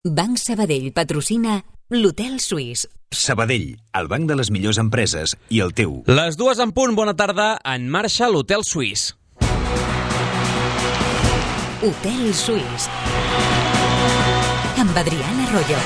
Banc Sabadell patrocina l'Hotel Suís. Sabadell, el banc de les millors empreses i el teu. Les 2 en punt, bona tarda, en marxa l'Hotel Suís. Hotel Suís. Amb Adriana Royo.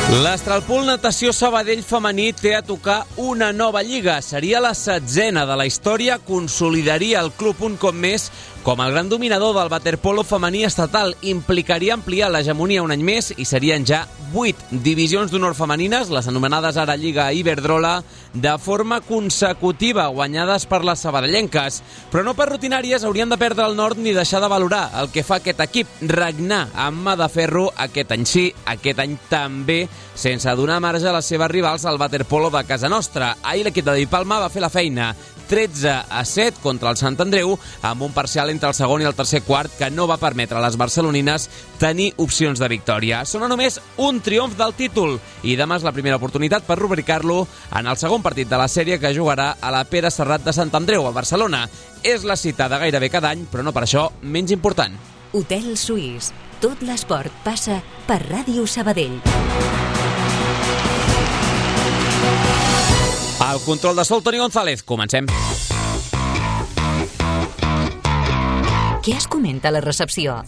L'Astralpool Natació Sabadell femení té a tocar una nova lliga. Seria la 16a de la història, consolidaria el club un cop més com el gran dominador del waterpolo femení estatal. Implicaria ampliar l'hegemonia un any més i serien ja 8 divisions d'honor femenines, les anomenades ara Lliga Iberdrola, de forma consecutiva, guanyades per les sabadellenques. Però no per rutinàries haurien de perdre el nord ni deixar de valorar el que fa aquest equip, regnar amb mà de ferro aquest any sí, aquest any també, sense donar marge a les seves rivals al waterpolo de casa nostra. Ahir l'equip de David Palma va fer la feina, 13-7 contra el Sant Andreu, amb un parcial entre el segon i el tercer quart que no va permetre a les barcelonines tenir opcions de victòria. Sona només un triomf del títol i demà és la primera oportunitat per rubricar-lo en el segon partit de la sèrie que jugarà a la Pere Serrat de Sant Andreu, a Barcelona. És la cita de gairebé cada any, però no per això menys important. Hotel Suís. Tot l'esport passa per Ràdio Sabadell. Al control de sol, Toni González. Comencem. Què es comenta a la recepció?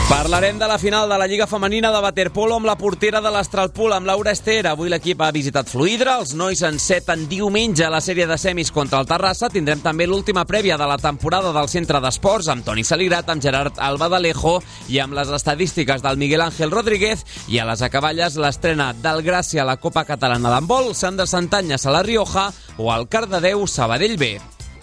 Parlarem de la final de la Lliga Femenina de waterpolo amb la portera de l'Astralpool, amb Laura Ester. Avui l'equip ha visitat Fluidra, els nois enceten diumenge a la sèrie de semis contra el Terrassa. Tindrem també l'última prèvia de la temporada del Centre d'Esports amb Toni Saligrat, amb Gerard Albadalejo i amb les estadístiques del Miguel Ángel Rodríguez. I a les acaballes l'estrena del Gràcia a la Copa Catalana d'handbol, Sandra Santanyes a la Rioja o al Cardedeu Sabadell B.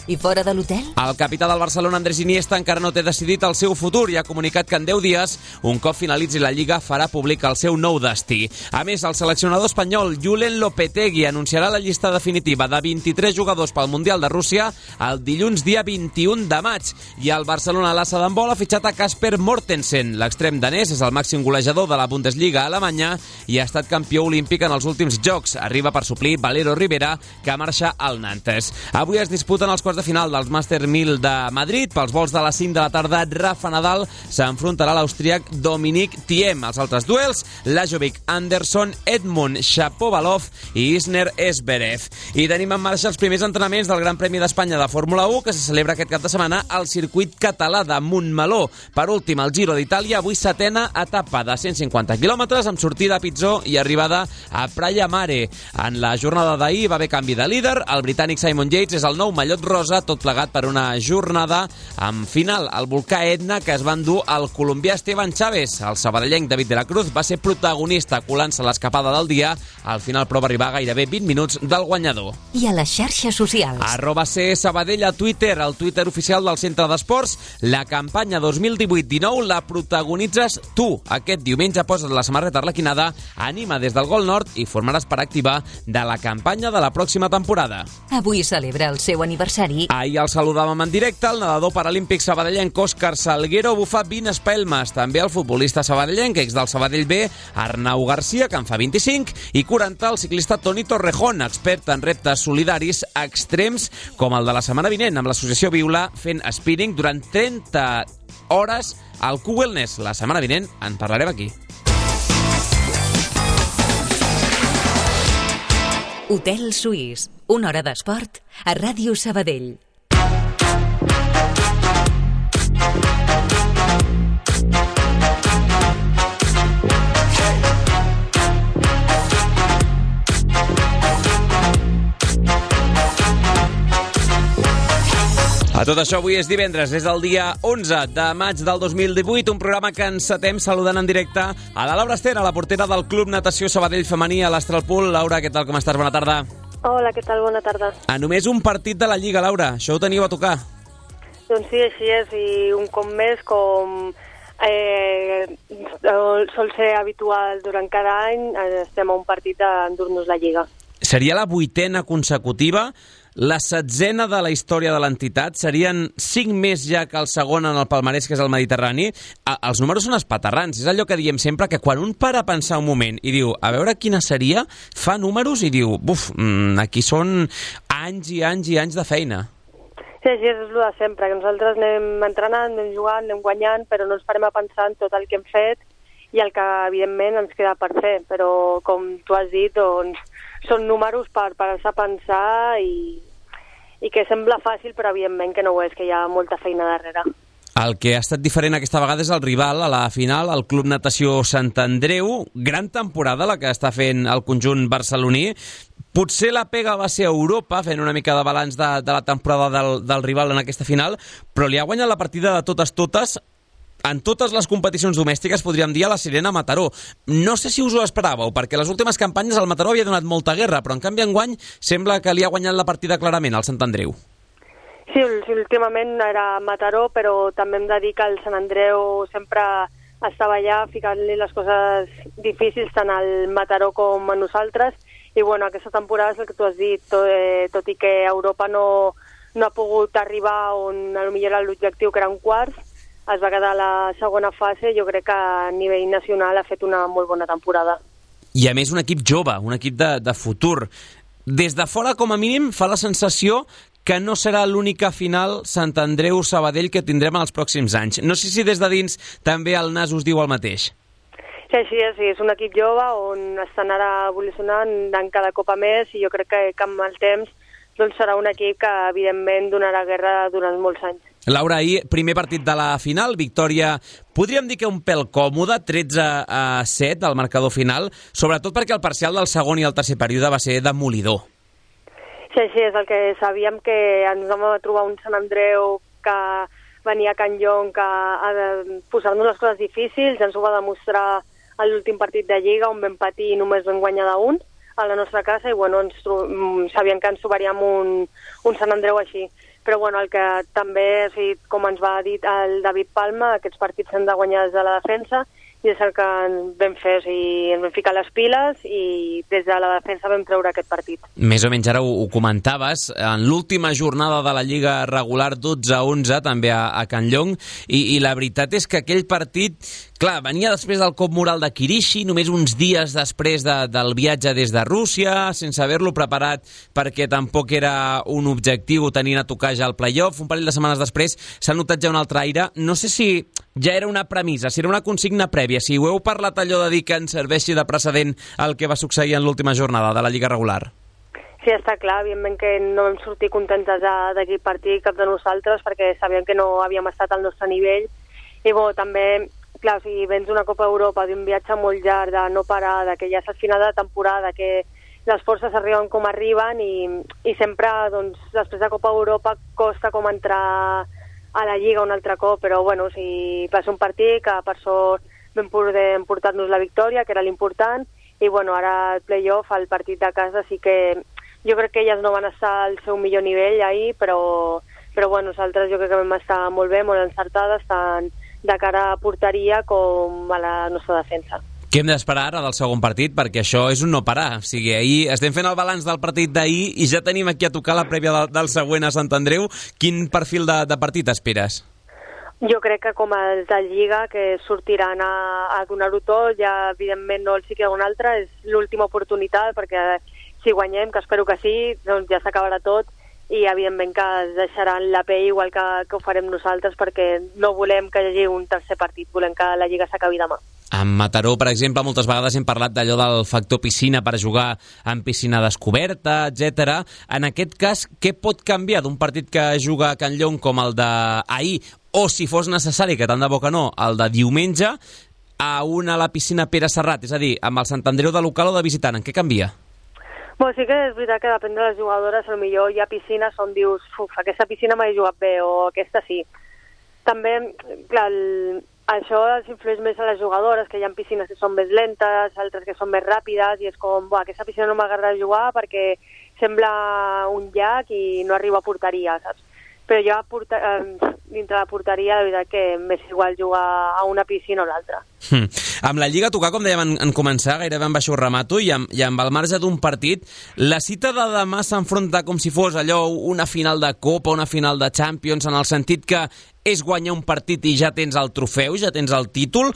I fora de l'hotel? El capità del Barcelona, Andrés Iniesta, encara no té decidit el seu futur i ha comunicat que en 10 dies, un cop finalitzi la Lliga, farà públic el seu nou destí. A més, el seleccionador espanyol Julen Lopetegui anunciarà la llista definitiva de 23 jugadors pel Mundial de Rússia el dilluns dia 21 de maig. I el Barcelona a l'Assa d'handbol ha fitxat a Kasper Mortensen. L'extrem danès és el màxim golejador de la Bundesliga alemanya i ha estat campió olímpic en els últims jocs. Arriba per suplir Valero Rivera, que marxa al Nantes. Avui es disputen els quarts de final dels Master 1000 de Madrid. Pels vols de les 5 de la tarda, Rafa Nadal s'enfrontarà a l'austríac Dominic Thiem. Els altres duels, Lajovic Anderson, Edmund Shapovalov i Isner Esberev. I tenim en marxa els primers entrenaments del Gran Premi d'Espanya de Fórmula 1, que se celebra aquest cap de setmana al circuit català de Montmeló. Per últim, el Giro d'Itàlia, avui 7a etapa de 150 quilòmetres amb sortida a Pizzó i arribada a Praia Mare. En la jornada d'ahir va haver canvi de líder. El britànic Simon Yates és el nou mallot rosa, tot plegat per una jornada amb final al volcà Etna que es va endur el colombià Esteban Chávez. El sabadellenc David de la Cruz va ser protagonista colant-se l'escapada del dia. Al final, però, va arribar gairebé 20 minuts del guanyador. I a les xarxes socials? @csabadell a Twitter, el Twitter oficial del Centre d'Esports. La campanya 2018-19 la protagonitzes tu. Aquest diumenge poses la samarreta arlequinada, anima des del Gol Nord i formaràs part activa de la campanya de la pròxima temporada. Avui celebra el seu aniversari. Ahir el saludàvem en directe, el nedador paralímpic sabadellenc Òscar Salguero bufa 20 espelmes. També el futbolista sabadellenc, ex del Sabadell B, Arnau Garcia, que en fa 25, i 40 el ciclista Toni Torrejón, expert en reptes solidaris extrems com el de la setmana vinent amb l'associació Viula, fent spinning durant 30 hores al Q-Wellness. La setmana vinent en parlarem aquí. Hotel Suís. Una hora d'esport a Ràdio Sabadell. A tot això, avui és divendres, és el dia 11 de maig del 2018, un programa que encetem saludant en directe a la Laura Ester, a la portera del Club Natació Sabadell Femení a l'Astralpool. Laura, què tal, com estàs? Bona tarda. Hola, què tal? Bona tarda. A només un partit de la Lliga, Laura, això ho teniu a tocar? Doncs sí, així és, i un cop més, com sol ser habitual durant cada any, estem a un partit d'endur-nos la Lliga. Seria la 8a consecutiva. la 16a de la història de l'entitat, serien 5 més ja que el segon en el palmarès, que és el Mediterrani. Els números són espaterrans, és allò que diem sempre, que quan un para a pensar un moment i diu, a veure quina seria, fa números i diu, aquí són anys i anys i anys de feina. Sí, és el de sempre, que nosaltres anem entrenant, anem jugant, anem guanyant, però no ens parem a pensar en tot el que hem fet i el que, evidentment, ens queda per fer. Però, com tu has dit, doncs, són números per parar-se a pensar i que sembla fàcil, però, evidentment, que no ho és, que hi ha molta feina darrere. El que ha estat diferent aquesta vegada és el rival a la final, el Club Natació Sant Andreu. Gran temporada la que està fent el conjunt barceloní. Potser la pega va ser a Europa, fent una mica de balanç de la temporada del rival en aquesta final, però li ha guanyat la partida de totes, en totes les competicions domèstiques, podríem dir, a la Sirena Mataró. No sé si us ho esperàveu, perquè les últimes campanyes el Mataró havia donat molta guerra, però en canvi enguany sembla que li ha guanyat la partida clarament al Sant Andreu. Sí, últimament era Mataró, però també hem de dir que el Sant Andreu sempre estava allà ficant-li les coses difícils tant al Mataró com a nosaltres, i bueno, aquesta temporada és el que tu has dit, tot i que Europa no ha pogut arribar on potser era l'objectiu, que eren quarts, es va quedar a la segona fase. Jo crec que a nivell nacional ha fet una molt bona temporada. I a més un equip jove, un equip de futur. Des de fora, com a mínim, fa la sensació que no serà l'única final Sant Andreu-Sabadell que tindrem en els pròxims anys. No sé si des de dins també el nas us diu el mateix. Sí, és un equip jove on estan ara evolucionant en cada copa més, i jo crec que amb el temps doncs serà un equip que evidentment donarà guerra durant molts anys. Laura, ahir, primer partit de la final, victòria, podríem dir que un pèl còmode, 13-7 al marcador final, sobretot perquè el parcial del segon i el tercer període va ser demolidor. Sí, és el que sabíem, que ens vam trobar un Sant Andreu que venia a Can Llong a posar-nos les coses difícils. Ens ho va demostrar a l'últim partit de Lliga, on vam patir i només vam guanyar d'un a la nostra casa, i bueno, sabíem que ens trobaríem un Sant Andreu així. Però bueno, el que també, com ens va dir el David Palma, aquests partits s'han de guanyar des de la defensa, i és el que vam fer, ens vam ficar les piles i des de la defensa vam treure aquest partit. Més o menys ara ho comentaves, en l'última jornada de la Lliga regular 12-11 també a Can Llong, i la veritat és que aquell partit, clar, venia després del cop moral de Kirishi, només uns dies després del viatge des de Rússia, sense haver-lo preparat perquè tampoc era un objectiu tenint a tocar ja el play-off. Un parell de setmanes després s'ha notat ja un altre aire. No sé si ja era una premissa, si era una consigna prèvia, si ho heu parlat allò de dir que ens serveixi de precedent el que va succeir en l'última jornada de la Lliga regular. Sí, està clar, evidentment que no vam sortir contentes d'aquell partit, cap de nosaltres, perquè sabíem que no havíem estat al nostre nivell, i bo, també, clar, si vens una Copa Europa, d'un viatge molt llarg, de no parar, que ja és al final de la temporada, que les forces arriben com arriben, i sempre, doncs, després de Copa Europa costa com entrar a la Lliga un altre cop, però bueno, va ser un partit que per sort vam poder emportar-nos la victòria, que era l'important, i bueno, ara el play-off, el partit de casa, sí que jo crec que elles no van estar al seu millor nivell ahir, però bueno, nosaltres jo crec que vam estar molt bé, molt encertades, tant de cara a porteria com a la nostra defensa. Què hem d'esperar ara del segon partit? Perquè això és un no parar. O sigui, ahir estem fent el balanç del partit d'ahir i ja tenim aquí a tocar la prèvia del següent a Sant Andreu. Quin perfil de partit esperes? Jo crec que com els de Lliga, que sortiran a donar-ho tot, ja evidentment no els hi queda un altre, és l'última oportunitat, perquè si guanyem, que espero que sí, doncs ja s'acabarà tot, i evidentment que es deixaran la pell igual que ho farem nosaltres, perquè no volem que hi hagi un tercer partit, volem que la Lliga s'acabi demà. En Mataró, per exemple, moltes vegades hem parlat d'allò del factor piscina per jugar en piscina descoberta, etc. En aquest cas, què pot canviar d'un partit que juga a Can Llong com el d'ahir, o si fos necessari, que tant de bo que no, el de diumenge, a la piscina Pere Serrat, és a dir, amb el Sant Andreu de local o de visitant, en què canvia? Bueno, sí que és veritat que depèn de les jugadores, potser hi ha piscines on dius, aquesta piscina m'he jugat bé, o aquesta sí. També, clar, això els influeix més a les jugadores, que hi ha piscines que són més lentes, altres que són més ràpides, i és com, aquesta piscina no m'agrada jugar perquè sembla un llac i no arriba a porteria, saps? però jo dintre la porteria, de veritat que m'és igual jugar a una piscina o l'altra. Amb la Lliga a tocar, com dèiem en començar, gairebé amb això ho remato, i amb el marge d'un partit, la cita de demà s'enfronta com si fos allò una final de Copa, una final de Champions, en el sentit que és guanyar un partit i ja tens el trofeu, ja tens el títol,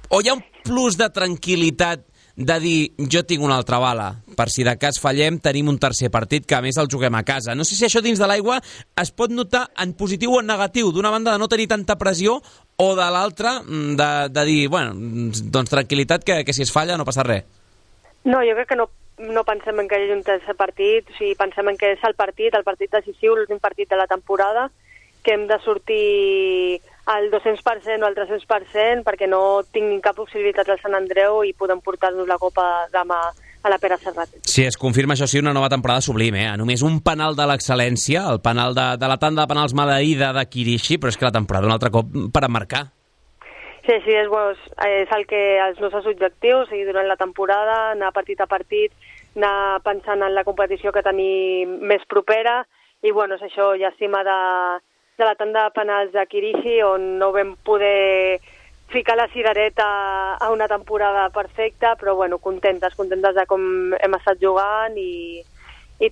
o hi ha un plus de tranquil·litat de dir, jo tinc una altra bala, per si de cas fallem tenim un tercer partit que a més el juguem a casa. No sé si això dins de l'aigua es pot notar en positiu o en negatiu, d'una banda de no tenir tanta pressió o de l'altra de dir, bueno, doncs tranquil·litat que si es falla no passa res. No, jo crec que no pensem en que hi hagi un tercer partit, o sigui, pensem en que és el partit decisiu, l'últim partit de la temporada, que hem de sortir al 200% o al 300% perquè no tinguin cap possibilitat al Sant Andreu i podem portar-nos la Copa demà a la Pere Serrat. Sí, es confirma, això sí, una nova temporada sublime, eh? Només un penal de l'excel·lència, el penal de la tanda de penals maleïda de Kirishi, però és que la temporada un altre cop per emmarcar. Sí, és el que els nostres objectius, seguir durant la temporada, anar partit a partit, anar pensant en la competició que tenim més propera, i bueno, és això, llàstima de la tanda de penals de Kirishi, on no vam poder ficar la cirereta a una temporada perfecta, però bueno, contentes de com hem estat jugant i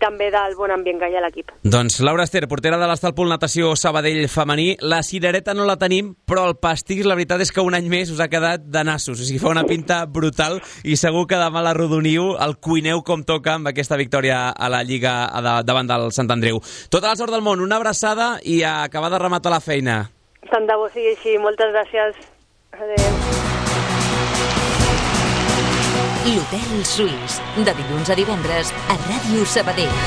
també del bon ambient que hi ha a l'equip. Doncs Laura Ester, portera de l'Estalpool Natació Sabadell femení, la cirereta no la tenim, però el pastís la veritat és que un any més us ha quedat de nassos, o sigui, fa una pinta brutal i segur que demà l'arrodoniu, el cuineu com toca amb aquesta victòria a la Lliga davant del Sant Andreu. Tota la sort del món, una abraçada i a acabar de rematar la feina. Tant de bo sigui així, moltes gràcies. Adéu. L'Hotel Suís, de dilluns a divendres a Ràdio Sabadell.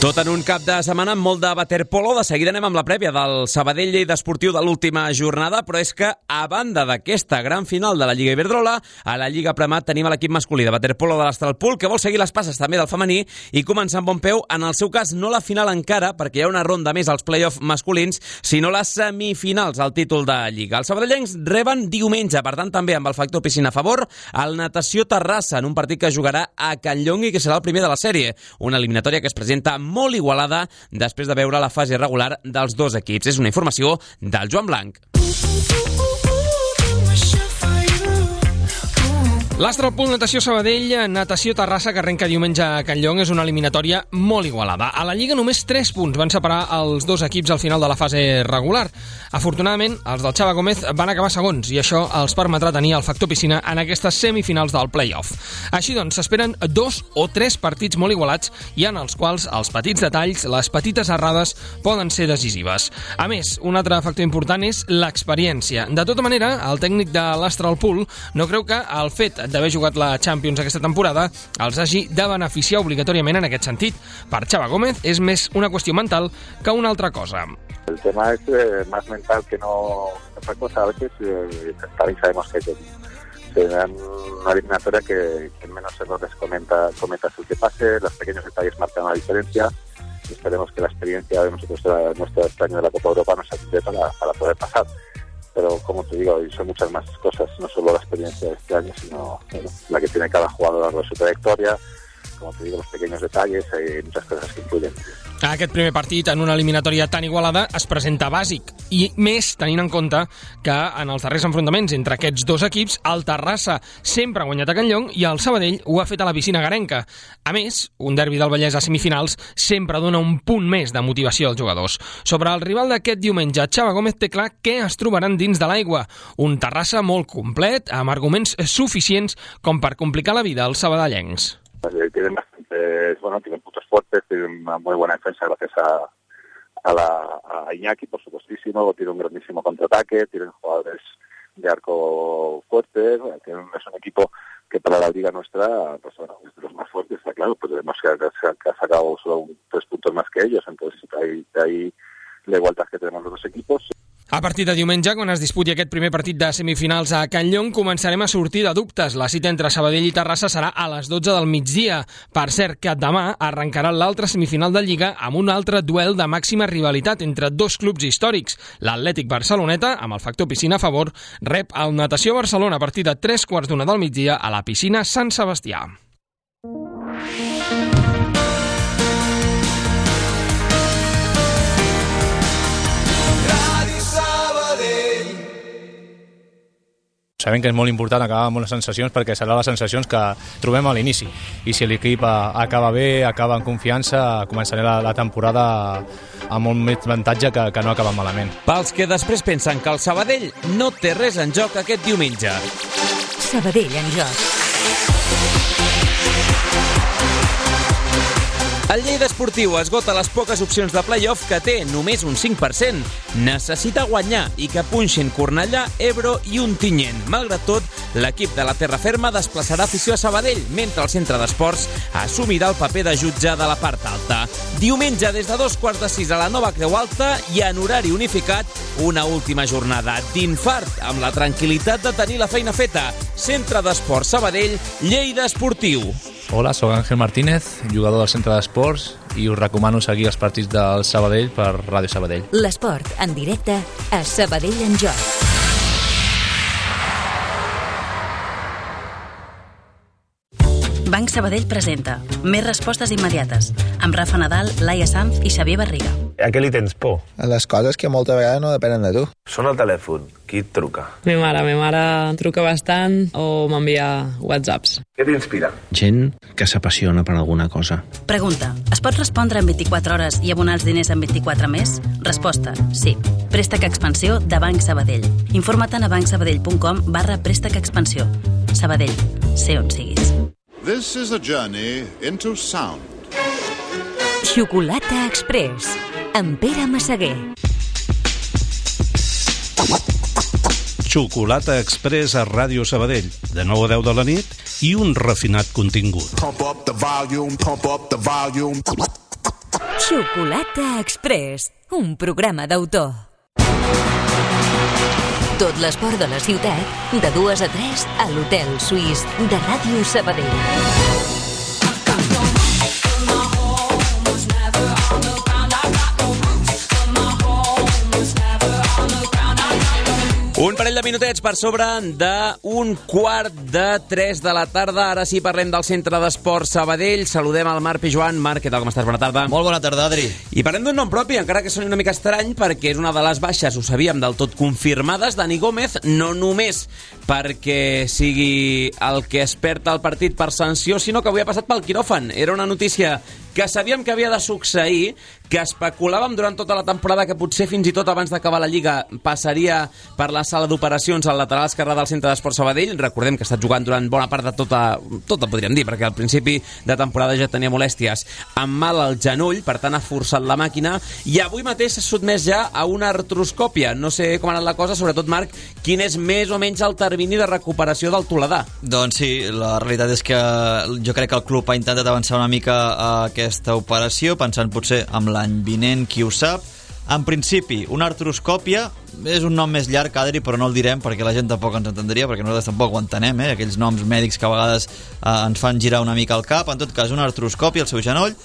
Tot en un cap de setmana amb molt de waterpolo. De seguida anem amb la prèvia del Sabadell Lleida Esportiu de l'última jornada, però és que a banda d'aquesta gran final de la Lliga Iberdrola, a la Lliga Premat tenim l'equip masculí de waterpolo de l'Astralpool, que vol seguir les passes també del femení i començar amb bon peu. En el seu cas, no la final encara, perquè hi ha una ronda més als play-off masculins, sinó les semifinals al títol de Lliga. Els sabadellencs reben diumenge, per tant també amb el factor piscina a favor, el Natació Terrassa, en un partit que jugarà a Can Llong i que serà el primer de la sèrie. Una eliminatòria que es presenta molt igualada després de veure la fase regular dels dos equips. És una informació del Joan Blanc. L'Astralpool Natació Sabadell, Natació Terrassa, que arrenca diumenge a Can Llong, és una eliminatòria molt igualada. A la Lliga només 3 punts van separar els dos equips al final de la fase regular. Afortunadament, els del Xava Gómez van acabar segons i això els permetrà tenir el factor piscina en aquestes semifinals del play-off. Així doncs, s'esperen 2 o 3 partits molt igualats i en els quals els petits detalls, les petites errades, poden ser decisives. A més, un altre factor important és l'experiència. De tota manera, el tècnic de l'Astralpool no creu que el fet d'haver jugat la Champions aquesta temporada els hagi de beneficiar obligatòriament en aquest sentit. Per Xava Gómez és més una qüestió mental que una altra cosa. El tema es más mental que no otra cosa. A veces también sabemos que será una eliminatoria que menos errores cometas el que pase, los pequeños detalles marcan la diferencia y esperemos que la experiencia de nosotros nuestro este año de la Copa Europa nos ayude para poder pasar. Pero como te digo, son muchas más cosas, no solo la experiencia de este año, sino la que tiene cada jugador a lo largo de su trayectoria, como te digo, los pequeños detalles, hay muchas cosas que influyen. Aquest primer partit en una eliminatòria tan igualada es presenta bàsic, i més tenint en compte que en els darrers enfrontaments entre aquests dos equips, el Terrassa sempre ha guanyat a Can Llong i el Sabadell ho ha fet a la piscina garenca. A més, un derbi del Vallès a semifinals sempre dona un punt més de motivació als jugadors. Sobre el rival d'aquest diumenge, Xava Gómez té clar què es trobaran dins de l'aigua. Un Terrassa molt complet, amb arguments suficients com per complicar la vida als sabadellencs. Tienen puntos fuertes, tienen una muy buena defensa gracias a Iñaki, por supuestísimo, tiene un grandísimo contraataque, tienen jugadores de arco fuertes, es un equipo que para la liga nuestra pues bueno, es de los más fuertes, está claro, pues vemos que ha sacado solo 3 puntos más que ellos, entonces de ahí la igualdad que tenemos los dos equipos. A partir de diumenge, quan es disputi aquest primer partit de semifinals a Can Llong, començarem a sortir de dubtes. La cita entre Sabadell i Terrassa serà a les 12 del migdia. Per cert, que demà arrencarà l'altra semifinal de Lliga amb un altre duel de màxima rivalitat entre dos clubs històrics. L'Atlètic Barceloneta, amb el factor piscina a favor, rep el Natació Barcelona a partir de 3:15 del migdia a la piscina Sant Sebastià. Sabem que és molt important acabar amb unes sensacions perquè seran les sensacions que trobem a l'inici. I si l'equip acaba bé, acaba en confiança, començaré la temporada amb molt més avantatge que no acaba malament. Pels que després pensen que el Sabadell no té res en joc aquest diumenge. Sabadell en joc. El Lleida Esportiu esgota les poques opcions de play-off que té, només un 5%. Necessita guanyar i que punxin Cornellà, Ebro i Ontinyent. Malgrat tot, l'equip de la Terra Ferma desplaçarà afició a Sabadell, mentre el centre d'esports assumirà el paper de jutge de la part alta. Diumenge, des de 5:45 a la Nova Creu Alta i en horari unificat, una última jornada d'infart amb la tranquil·litat de tenir la feina feta. Centre d'Esports Sabadell, Lleida Esportiu. Hola, soc Ángel Martínez, jugador del Centre d'Esports, i us recomano seguir els partits del Sabadell per Ràdio Sabadell. L'esport en directe a Sabadell en joc. Banc Sabadell presenta Més respostes immediates amb Rafa Nadal, Laia Sanz i Xavier Barriga. A què li tens por? A les coses que molta vegada no depenen de tu. Sona el telèfon. Qui et truca? Mi mare truca bastant o m'envia whatsapps. Què t'inspira? Gent que s'apassiona per alguna cosa. Pregunta. Es pot respondre en 24 hores i abonar els diners en 24 més? Resposta. Sí. Préstec Expansió de Banc Sabadell. Informa't a bancsabadell.com/préstec expansió. Sabadell. Sé on siguis. This is a journey into sound. Xocolata Express, amb Pere Massaguer. Xocolata Express a Ràdio Sabadell, de 9 a 10 de la nit, i un refinat contingut. Pump up the volume, pump up the volume. Xocolata Express, un programa d'autor. Tot l'esport de la ciutat, de 2 a 3, a l'Hotel Suís de Ràdio Sabadell. Un parell de minutets per sobre d'un 2:45 de la tarda. Ara sí parlem del Centre d'Esports Sabadell. Saludem al Marc Pijuan. Marc, què tal, com estàs? Bona tarda. Molt bona tarda, Adri. I parlem d'un nom propi, encara que soni una mica estrany, perquè és una de les baixes, ho sabíem, del tot confirmades. Dani Gómez, no només perquè sigui el que es perd el partit per sanció, sinó que avui ha passat pel quiròfan. Era una notícia que sabíem que havia de succeir, que especulàvem durant tota la temporada que potser fins i tot abans d'acabar la Lliga passaria per la sala d'operacions al lateral esquerre del Centre d'Esports Sabadell. Recordem que ha estat jugant durant bona part de tota podríem dir, perquè al principi de temporada ja tenia molèsties amb mal al genoll, per tant ha forçat la màquina, i avui mateix s'ha sotmès ja a una artroscòpia. No sé com ha anat la cosa, sobretot, Marc, quin és més o menys el termini de recuperació del toledà? Doncs sí, la realitat és que jo crec que el club ha intentat avançar una mica a aquesta operació, pensant potser amb l'any vinent, qui ho sap. En principi, una artroscòpia és un nom més llarg, Adri, però no el direm perquè la gent tampoc ens entendria, perquè nosaltres tampoc ho entenem, aquells noms mèdics que a vegades ens fan girar una mica el cap. En tot cas, una artroscòpia al seu genoll.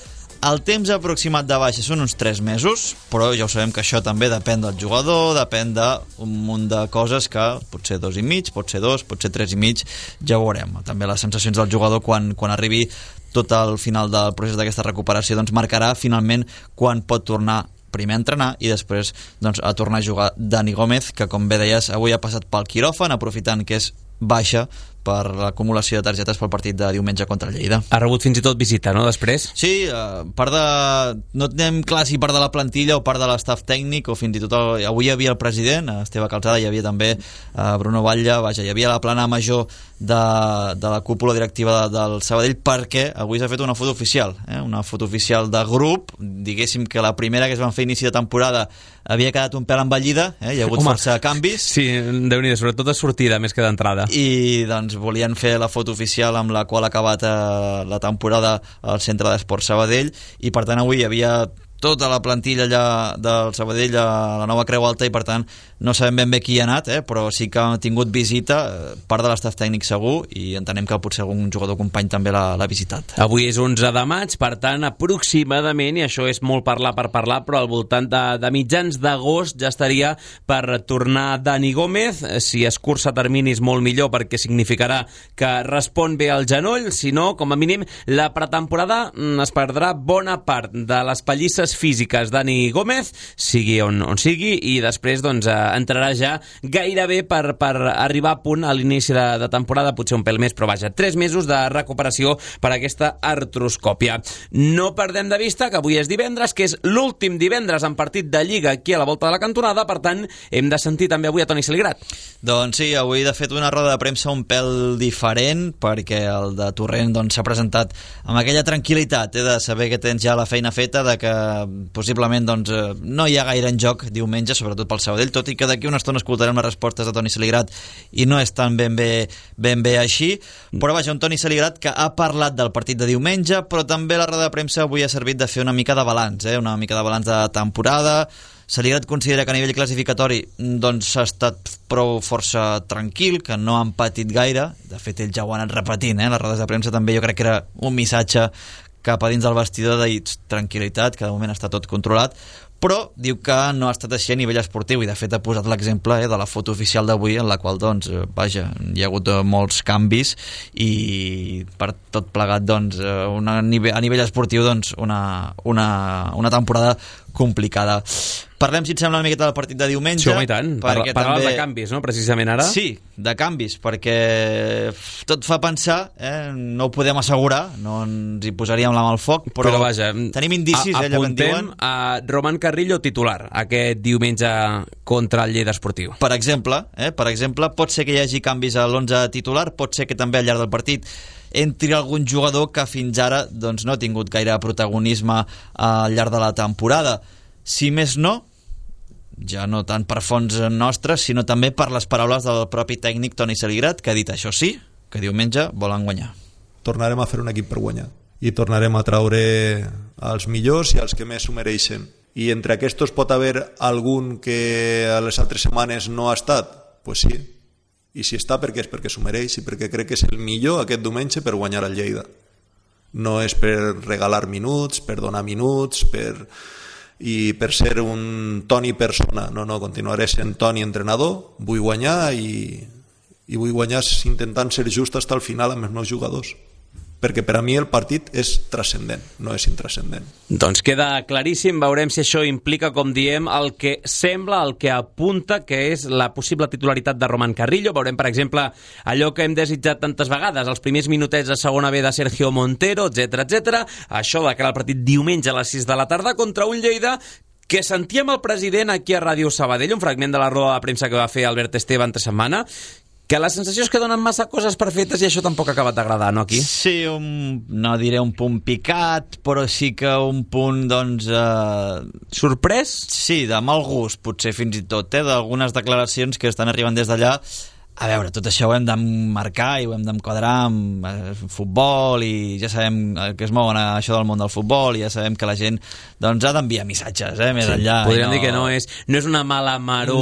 El temps aproximat de baixa són uns 3 mesos, però ja ho sabem que això també depèn del jugador, depèn d'un munt de coses que pot ser 2 i mig, pot ser 2, pot ser 3 i mig, ja ho veurem. També les sensacions del jugador quan arribi tot al final del procés d'aquesta recuperació doncs marcarà finalment quan pot tornar primer a entrenar i després doncs, a tornar a jugar. Dani Gómez, que com bé deies avui ha passat pel quiròfan, aprofitant que és baixa per l'acumulació de targetes pel partit de diumenge contra Lleida. Ha rebut fins i tot visita, no, després? Sí, part de... no tenim clar si part de la plantilla o part de l'estaf tècnic, o fins i tot avui hi havia el president, Esteve Calzada, hi havia també Bruno Batlle, vaja, hi havia la plana major de la cúpula directiva del Sabadell, perquè avui s'ha fet una foto oficial, una foto oficial de grup. Diguéssim que la primera que es van fer a inici de temporada havia quedat un pèl envellida, hi ha hagut força canvis. Sí, Déu-n'hi-do, sobretot de sortida més que d'entrada. I doncs volien fer la foto oficial amb la qual ha acabat la temporada al Centre d'Esports Sabadell, i per tant avui hi havia tota la plantilla allà del Sabadell a la Nova Creu Alta, i per tant no sabem ben bé qui hi ha anat, però sí que ha tingut visita, part de l'estaf tècnic segur, i entenem que potser algun jugador company també l'ha visitat. Avui és 11 de maig, per tant aproximadament, i això és molt parlar per parlar, però al voltant de mitjans d'agost ja estaria per tornar Dani Gómez. Si es cursa terminis molt millor, perquè significarà que respon bé al genoll, si no, com a mínim la pretemporada es perdrà bona part de les pallisses forces físiques Dani Gómez, sigui on sigui, i després doncs, entrarà ja gairebé per arribar a punt a l'inici de temporada, potser un pèl més, però vaja, 3 mesos de recuperació per aquesta artroscòpia. No perdem de vista que avui és divendres, que és l'últim divendres en partit de Lliga aquí a la volta de la cantonada, per tant, hem de sentir també avui a Toni Saligrat. Doncs sí, avui de fet una roda de premsa un pèl diferent, perquè el de Torrent s'ha presentat amb aquella tranquil·litat de saber que tens ja la feina feta, de que possiblement no hi ha gaire en joc diumenge, sobretot pel Sabadell, tot i que d'aquí una estona escoltarem les respostes de Toni Saligrat i no és tan ben bé així, però vaja, un Toni Saligrat que ha parlat del partit de diumenge, però també la roda de premsa avui ha servit de fer una mica de balanç, una mica de balanç de temporada. Saligrat considera que a nivell classificatori s'ha estat prou força tranquil, que no han patit gaire. De fet, ell ja ho ha anat repetint, les rodes de premsa també jo crec que era un missatge cap a dins del vestidor de tranquil·litat, que de moment està tot controlat, però diu que no ha estat així a nivell esportiu, i de fet ha posat l'exemple de la foto oficial d'avui, en la qual vaja, hi ha hagut molts canvis i per tot plegat a nivell esportiu una temporada complicada. Parlem, si et sembla, una miqueta del partit de diumenge. Sí, home, i tant. Parlaves de canvis, no?, precisament ara. Sí, de canvis, perquè tot fa pensar, no ho podem assegurar, no ens hi posaríem la mà al foc, però vaja, tenim indicis, allò que en diuen. Apuntem a Román Carrillo titular aquest diumenge contra el Lleida Esportiu. Per exemple, pot ser que hi hagi canvis a l'11 titular, pot ser que també al llarg del partit entri algun jugador que fins ara no ha tingut gaire protagonisme al llarg de la temporada. Si més no, ja no tant per fons nostres, sinó també per les paraules del propi tècnic Toni Saligrat, que ha dit, això sí, que diumenge volen guanyar. Tornarem a fer un equip per guanyar i tornarem a traure els millors i els que més s'ho mereixen. I entre aquests pot haver algun que a les altres setmanes no ha estat? Pues sí. I si està, perquè és perquè s'ho mereix i perquè crec que és el millor aquest diumenge per guanyar al Lleida. No és per regalar minuts, per donar minuts, i per ser un Toni persona. No, continuaré sent Toni entrenador, vull guanyar i vull guanyar intentant ser just fins al final amb els meus jugadors, perquè per a mi el partit és transcendent, no és intranscendent. Doncs queda claríssim, veurem si això implica, com diem, el que sembla, el que apunta que és la possible titularitat de Román Carrillo. Veurem, per exemple, allò que hem desitjat tantes vegades, els primers minutets de segona B de Sergio Montero, etc. Això de cara al partit diumenge a les 6 de la tarda contra un Lleida que sentíem el president aquí a Ràdio Sabadell, un fragment de la roda de premsa que va fer Albert Esteve entre setmana, que la sensació és que donen massa coses perfetes i això tampoc ha acabat d'agradar, no, aquí? Sí, no diré un punt picat, però sí que un punt, sorprès? Sí, de mal gust, potser fins i tot, d'algunes declaracions que estan arribant des d'allà. A veure, tot això ho hem d'emmarcar i ho hem d'enquadrar amb futbol, i ja sabem que es mouen a això del món del futbol, i ja sabem que la gent ha d'enviar missatges, més enllà. Podríem dir que no és una mala maró,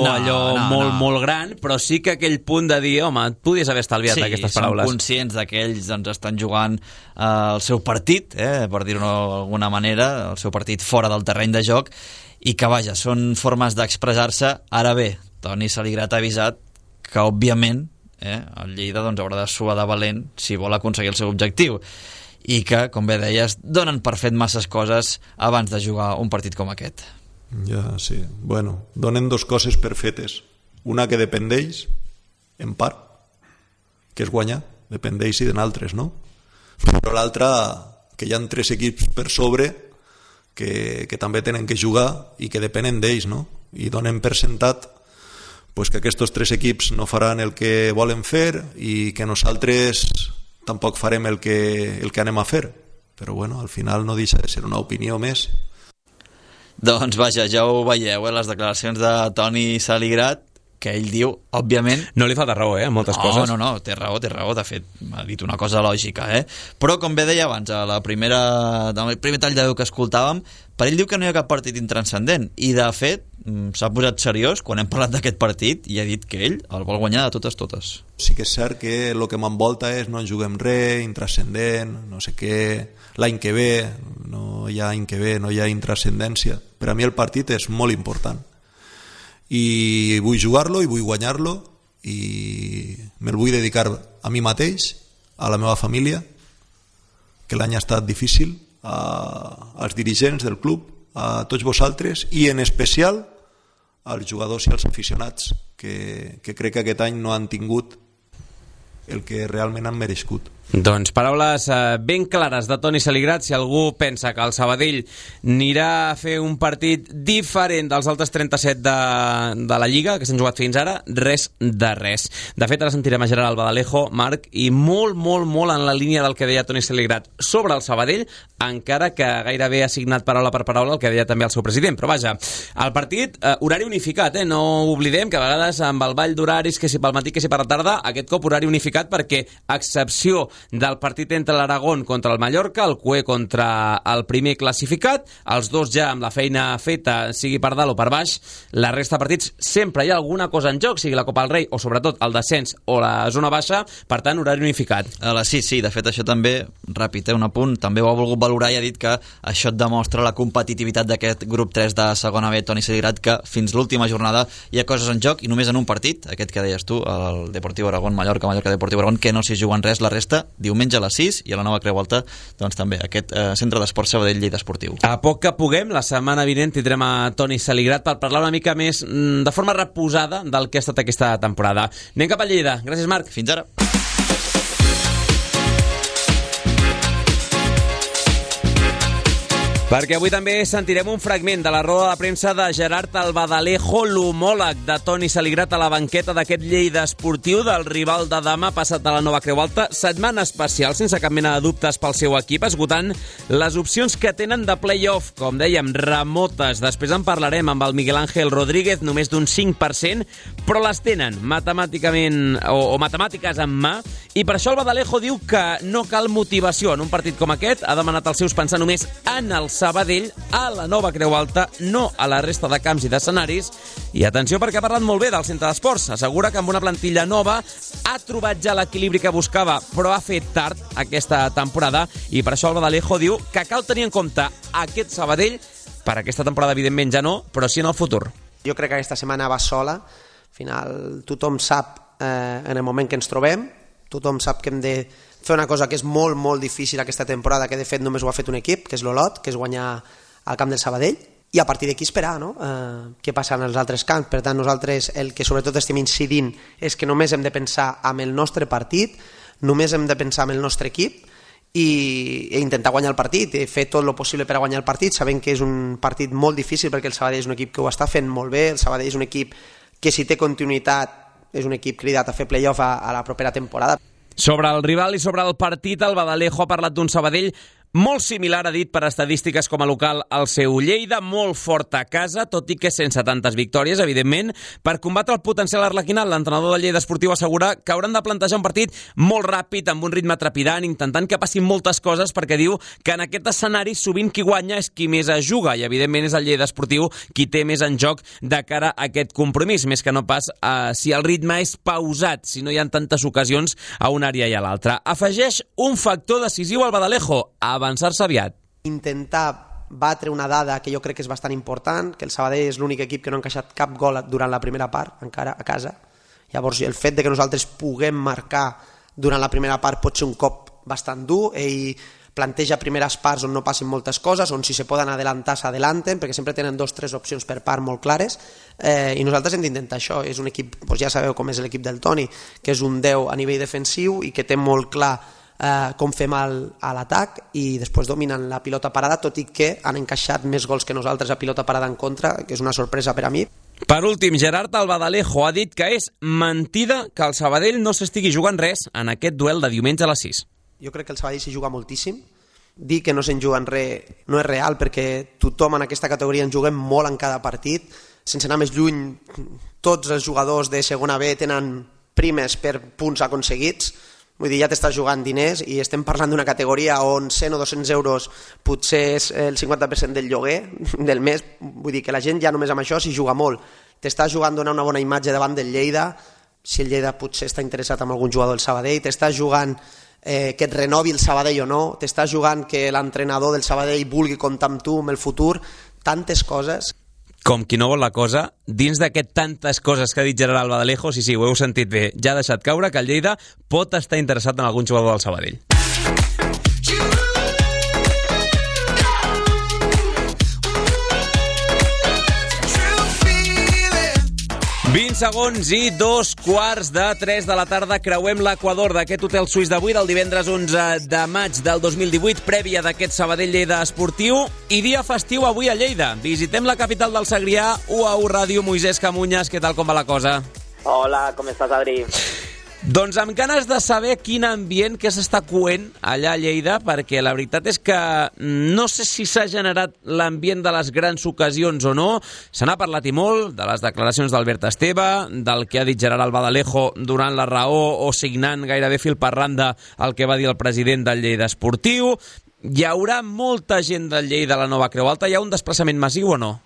molt gran, però sí que aquell punt de dir, home, et podies haver estalviat aquestes paraules. Sí, són conscients que ells estan jugant el seu partit, per dir-ho d'alguna manera, el seu partit fora del terreny de joc, i que, vaja, són formes d'expressar-se. Ara bé, Toni Saligrat ha avisat que, òbviament, el Lleida haurà de suar de valent si vol aconseguir el seu objectiu, i que, com bé deies, donen per fet masses coses abans de jugar un partit com aquest. Ja, sí. Bueno, donen dos coses per fetes. Una que depèn d'ells, en part, que és guanyar, depèn d'ells i de n'altres, no? Però l'altra, que hi ha 3 equips per sobre que també tenen que jugar i que depenen d'ells, no? I donen per sentat que aquests 3 equips no faran el que volen fer i que nosaltres tampoc farem el que anem a fer. Però bueno, al final no deixa de ser una opinió més. Doncs vaja, ja ho veieu, les declaracions de Toni Saligrat, que ell diu, òbviament... No li falta raó, en moltes coses. No, té raó, de fet, m'ha dit una cosa lògica, Però, com bé deia abans, el primer tall de veu que escoltàvem, per ell diu que no hi ha cap partit intranscendent, i de fet s'ha posat seriós quan hem parlat d'aquest partit i ha dit que ell el vol guanyar de totes. Sí que és cert que el que m'envolta és no en juguem res, intranscendent, no sé què, l'any que ve, no hi ha any que ve, no hi ha intranscendència. Per a mi el partit és molt important. I vull jugar-lo i vull guanyar-lo i me'l vull dedicar a mi mateix, a la meva família, que l'any ha estat difícil, als dirigents del club, a tots vosaltres i en especial als jugadors i als aficionats que crec que aquest any no han tingut el que realment han merescut. Doncs paraules ben clares de Toni Saligrat. Si algú pensa que el Sabadell anirà a fer un partit diferent dels altres 37 de la Lliga que s'han jugat fins ara, res de res. De fet, ara sentirem a Gerard Albadalejo, Marc, i molt en la línia del que deia Toni Saligrat sobre el Sabadell, encara que gairebé ha signat paraula per paraula el que deia també el seu president. Però vaja, el partit, horari unificat, no oblidem que a vegades amb el ball d'horaris, que si pel matí, que si per la tarda, aquest cop horari unificat perquè, a excepció del partit entre l'Aragón contra el Mallorca, el CUE contra el primer classificat, els dos ja amb la feina feta, sigui per dalt o per baix, la resta de partits sempre hi ha alguna cosa en joc, sigui la Copa del Rei o sobretot el descens o la zona baixa, per tant, horari unificat. Sí, de fet això també, ràpid, un apunt, també ho ha volgut valorar i ha dit que això et demostra la competitivitat d'aquest grup 3 de segona B, Toni Saligrat, que fins l'última jornada hi ha coses en joc i només en un partit, aquest que deies tu, el Deportiu Aragón, Mallorca Deportiu Aragón, que no s'hi juguen res, la resta diumenge a les 6 i a la nova Creu Alta, doncs també aquest centre d'esport Sabadell Lleida Esportiu. A poc que puguem, la setmana vinent tindrem a Toni Saligrat per parlar una mica més de forma reposada del que ha estat aquesta temporada. Anem cap a Lleida. Gràcies, Marc. Fins ara. Perquè avui també sentirem un fragment de la roda de premsa de Gerard Albadalejo, l'homòleg de Toni Saligrat a la banqueta d'aquest Lleida Esportiu del rival de demà passat de la nova Creu Alta. Setmana especial, sense cap mena de dubtes pel seu equip, esgotant les opcions que tenen de play-off, com dèiem, remotes. Després en parlarem amb el Miguel Ángel Rodríguez, només d'un 5%, però les tenen matemàticament o matemàtiques en mà, i per això Albadalejo diu que no cal motivació en un partit com aquest. Ha demanat als seus pensar només en el Sabadell, a la nova Creu Alta, no a la resta de camps i d'escenaris. I atenció, perquè ha parlat molt bé del centre d'esports. Assegura que amb una plantilla nova ha trobat ja l'equilibri que buscava, però ha fet tard aquesta temporada, i per això Albadalejo diu que cal tenir en compte aquest Sabadell per aquesta temporada, evidentment ja no, però sí en el futur. Jo crec que aquesta setmana va sola. Al final tothom sap en el moment que ens trobem, tothom sap que hem de fer una cosa que és molt difícil aquesta temporada, que de fet només ho ha fet un equip, que és l'Olot, que és guanyar al camp del Sabadell, i a partir d'aquí esperar, no? Què passa en els altres camps. Per tant, nosaltres el que sobretot estem incidint és que només hem de pensar en el nostre partit, només hem de pensar en el nostre equip i intentar guanyar el partit, i fer tot el possible per a guanyar el partit, sabent que és un partit molt difícil perquè el Sabadell és un equip que ho està fent molt bé, el Sabadell és un equip que si té continuïtat és un equip cridat a fer play-off a la propera temporada. Sobre el rival i sobre el partit, Albadalejo ha parlat d'un Sabadell molt similar, ha dit, per estadístiques com a local al seu Lleida, molt fort a casa, tot i que sense tantes victòries, evidentment. Per combatre el potencial arlequinat, l'entrenador del Lleida Esportiu assegura que hauran de plantejar un partit molt ràpid, amb un ritme trepidant, intentant que passin moltes coses, perquè diu que en aquest escenari sovint qui guanya és qui més es juga, i evidentment és el Lleida Esportiu qui té més en joc de cara a aquest compromís, més que no pas si el ritme és pausat, si no hi ha tantes ocasions a una àrea i a l'altra. Afegeix un factor decisiu al Albadalejo, avançar-se aviat. Intentar batre una dada que jo crec que és bastant important, que el Sabadell és l'únic equip que no ha encaixat cap gol durant la primera part, encara a casa. Llavors, el fet de que nosaltres puguem marcar durant la primera part pot ser un cop bastant dur. Ell planteja primeres parts on no passin moltes coses, on si se poden adelantar s'adelanten, perquè sempre tenen 2 o 3 opcions per part molt clares, i nosaltres hem d'intentar això. És un equip, ja sabeu com és l'equip del Toni, que és un 10 a nivell defensiu i que té molt clar com fem a l'atac, i després dominen la pilota parada, tot i que han encaixat més gols que nosaltres a pilota parada en contra, que és una sorpresa per a mi. Per últim, Gerard Albadalejo ha dit que és mentida que el Sabadell no s'estigui jugant res en aquest duel de diumenge a les 6. Jo crec que el Sabadell s'hi juga moltíssim. Dir que no se'n juguen res no és real, perquè tothom en aquesta categoria en juguem molt en cada partit. Sense anar més lluny, tots els jugadors de segona B tenen primes per punts aconseguits. Vull dir, ja t'estàs jugant diners, i estem parlant d'una categoria on 100 o 200 euros potser és el 50% del lloguer del mes. Vull dir que la gent ja només amb això s'hi juga molt. T'estàs jugant donar una bona imatge davant del Lleida, si el Lleida potser està interessat en algun jugador del Sabadell, t'estàs jugant que et renovi el Sabadell o no, t'estàs jugant que l'entrenador del Sabadell vulgui comptar amb tu en el futur, tantes coses. Com qui no vol la cosa, dins d'aquest tantes coses que ha dit Gerard Albadalejo, sí, ho heu sentit bé, ja ha deixat caure que el Lleida pot estar interessat en algun jugador del Sabadell. 20 segons i 2:45 de la tarda. Creuem l'equador d'aquest hotel suís d'avui, del divendres 11 de maig del 2018, prèvia d'aquest Sabadell-Lleida esportiu i dia festiu avui a Lleida. Visitem la capital del Segrià, UAU Ràdio. Moisès Camunyes, què tal, com va la cosa? Hola, com estàs, Adri? Doncs amb ganes de saber quin ambient que s'està coent allà a Lleida, perquè la veritat és que no sé si s'ha generat l'ambient de les grans ocasions o no. Se n'ha parlat i molt de les declaracions d'Albert Esteve, del que ha dit Gerard Albaladejo durant la raó o signant gairebé fil per randa el que va dir el president del Lleida Esportiu. Hi haurà molta gent del Lleida a la nova Creu Alta. Hi ha un desplaçament massiu o no?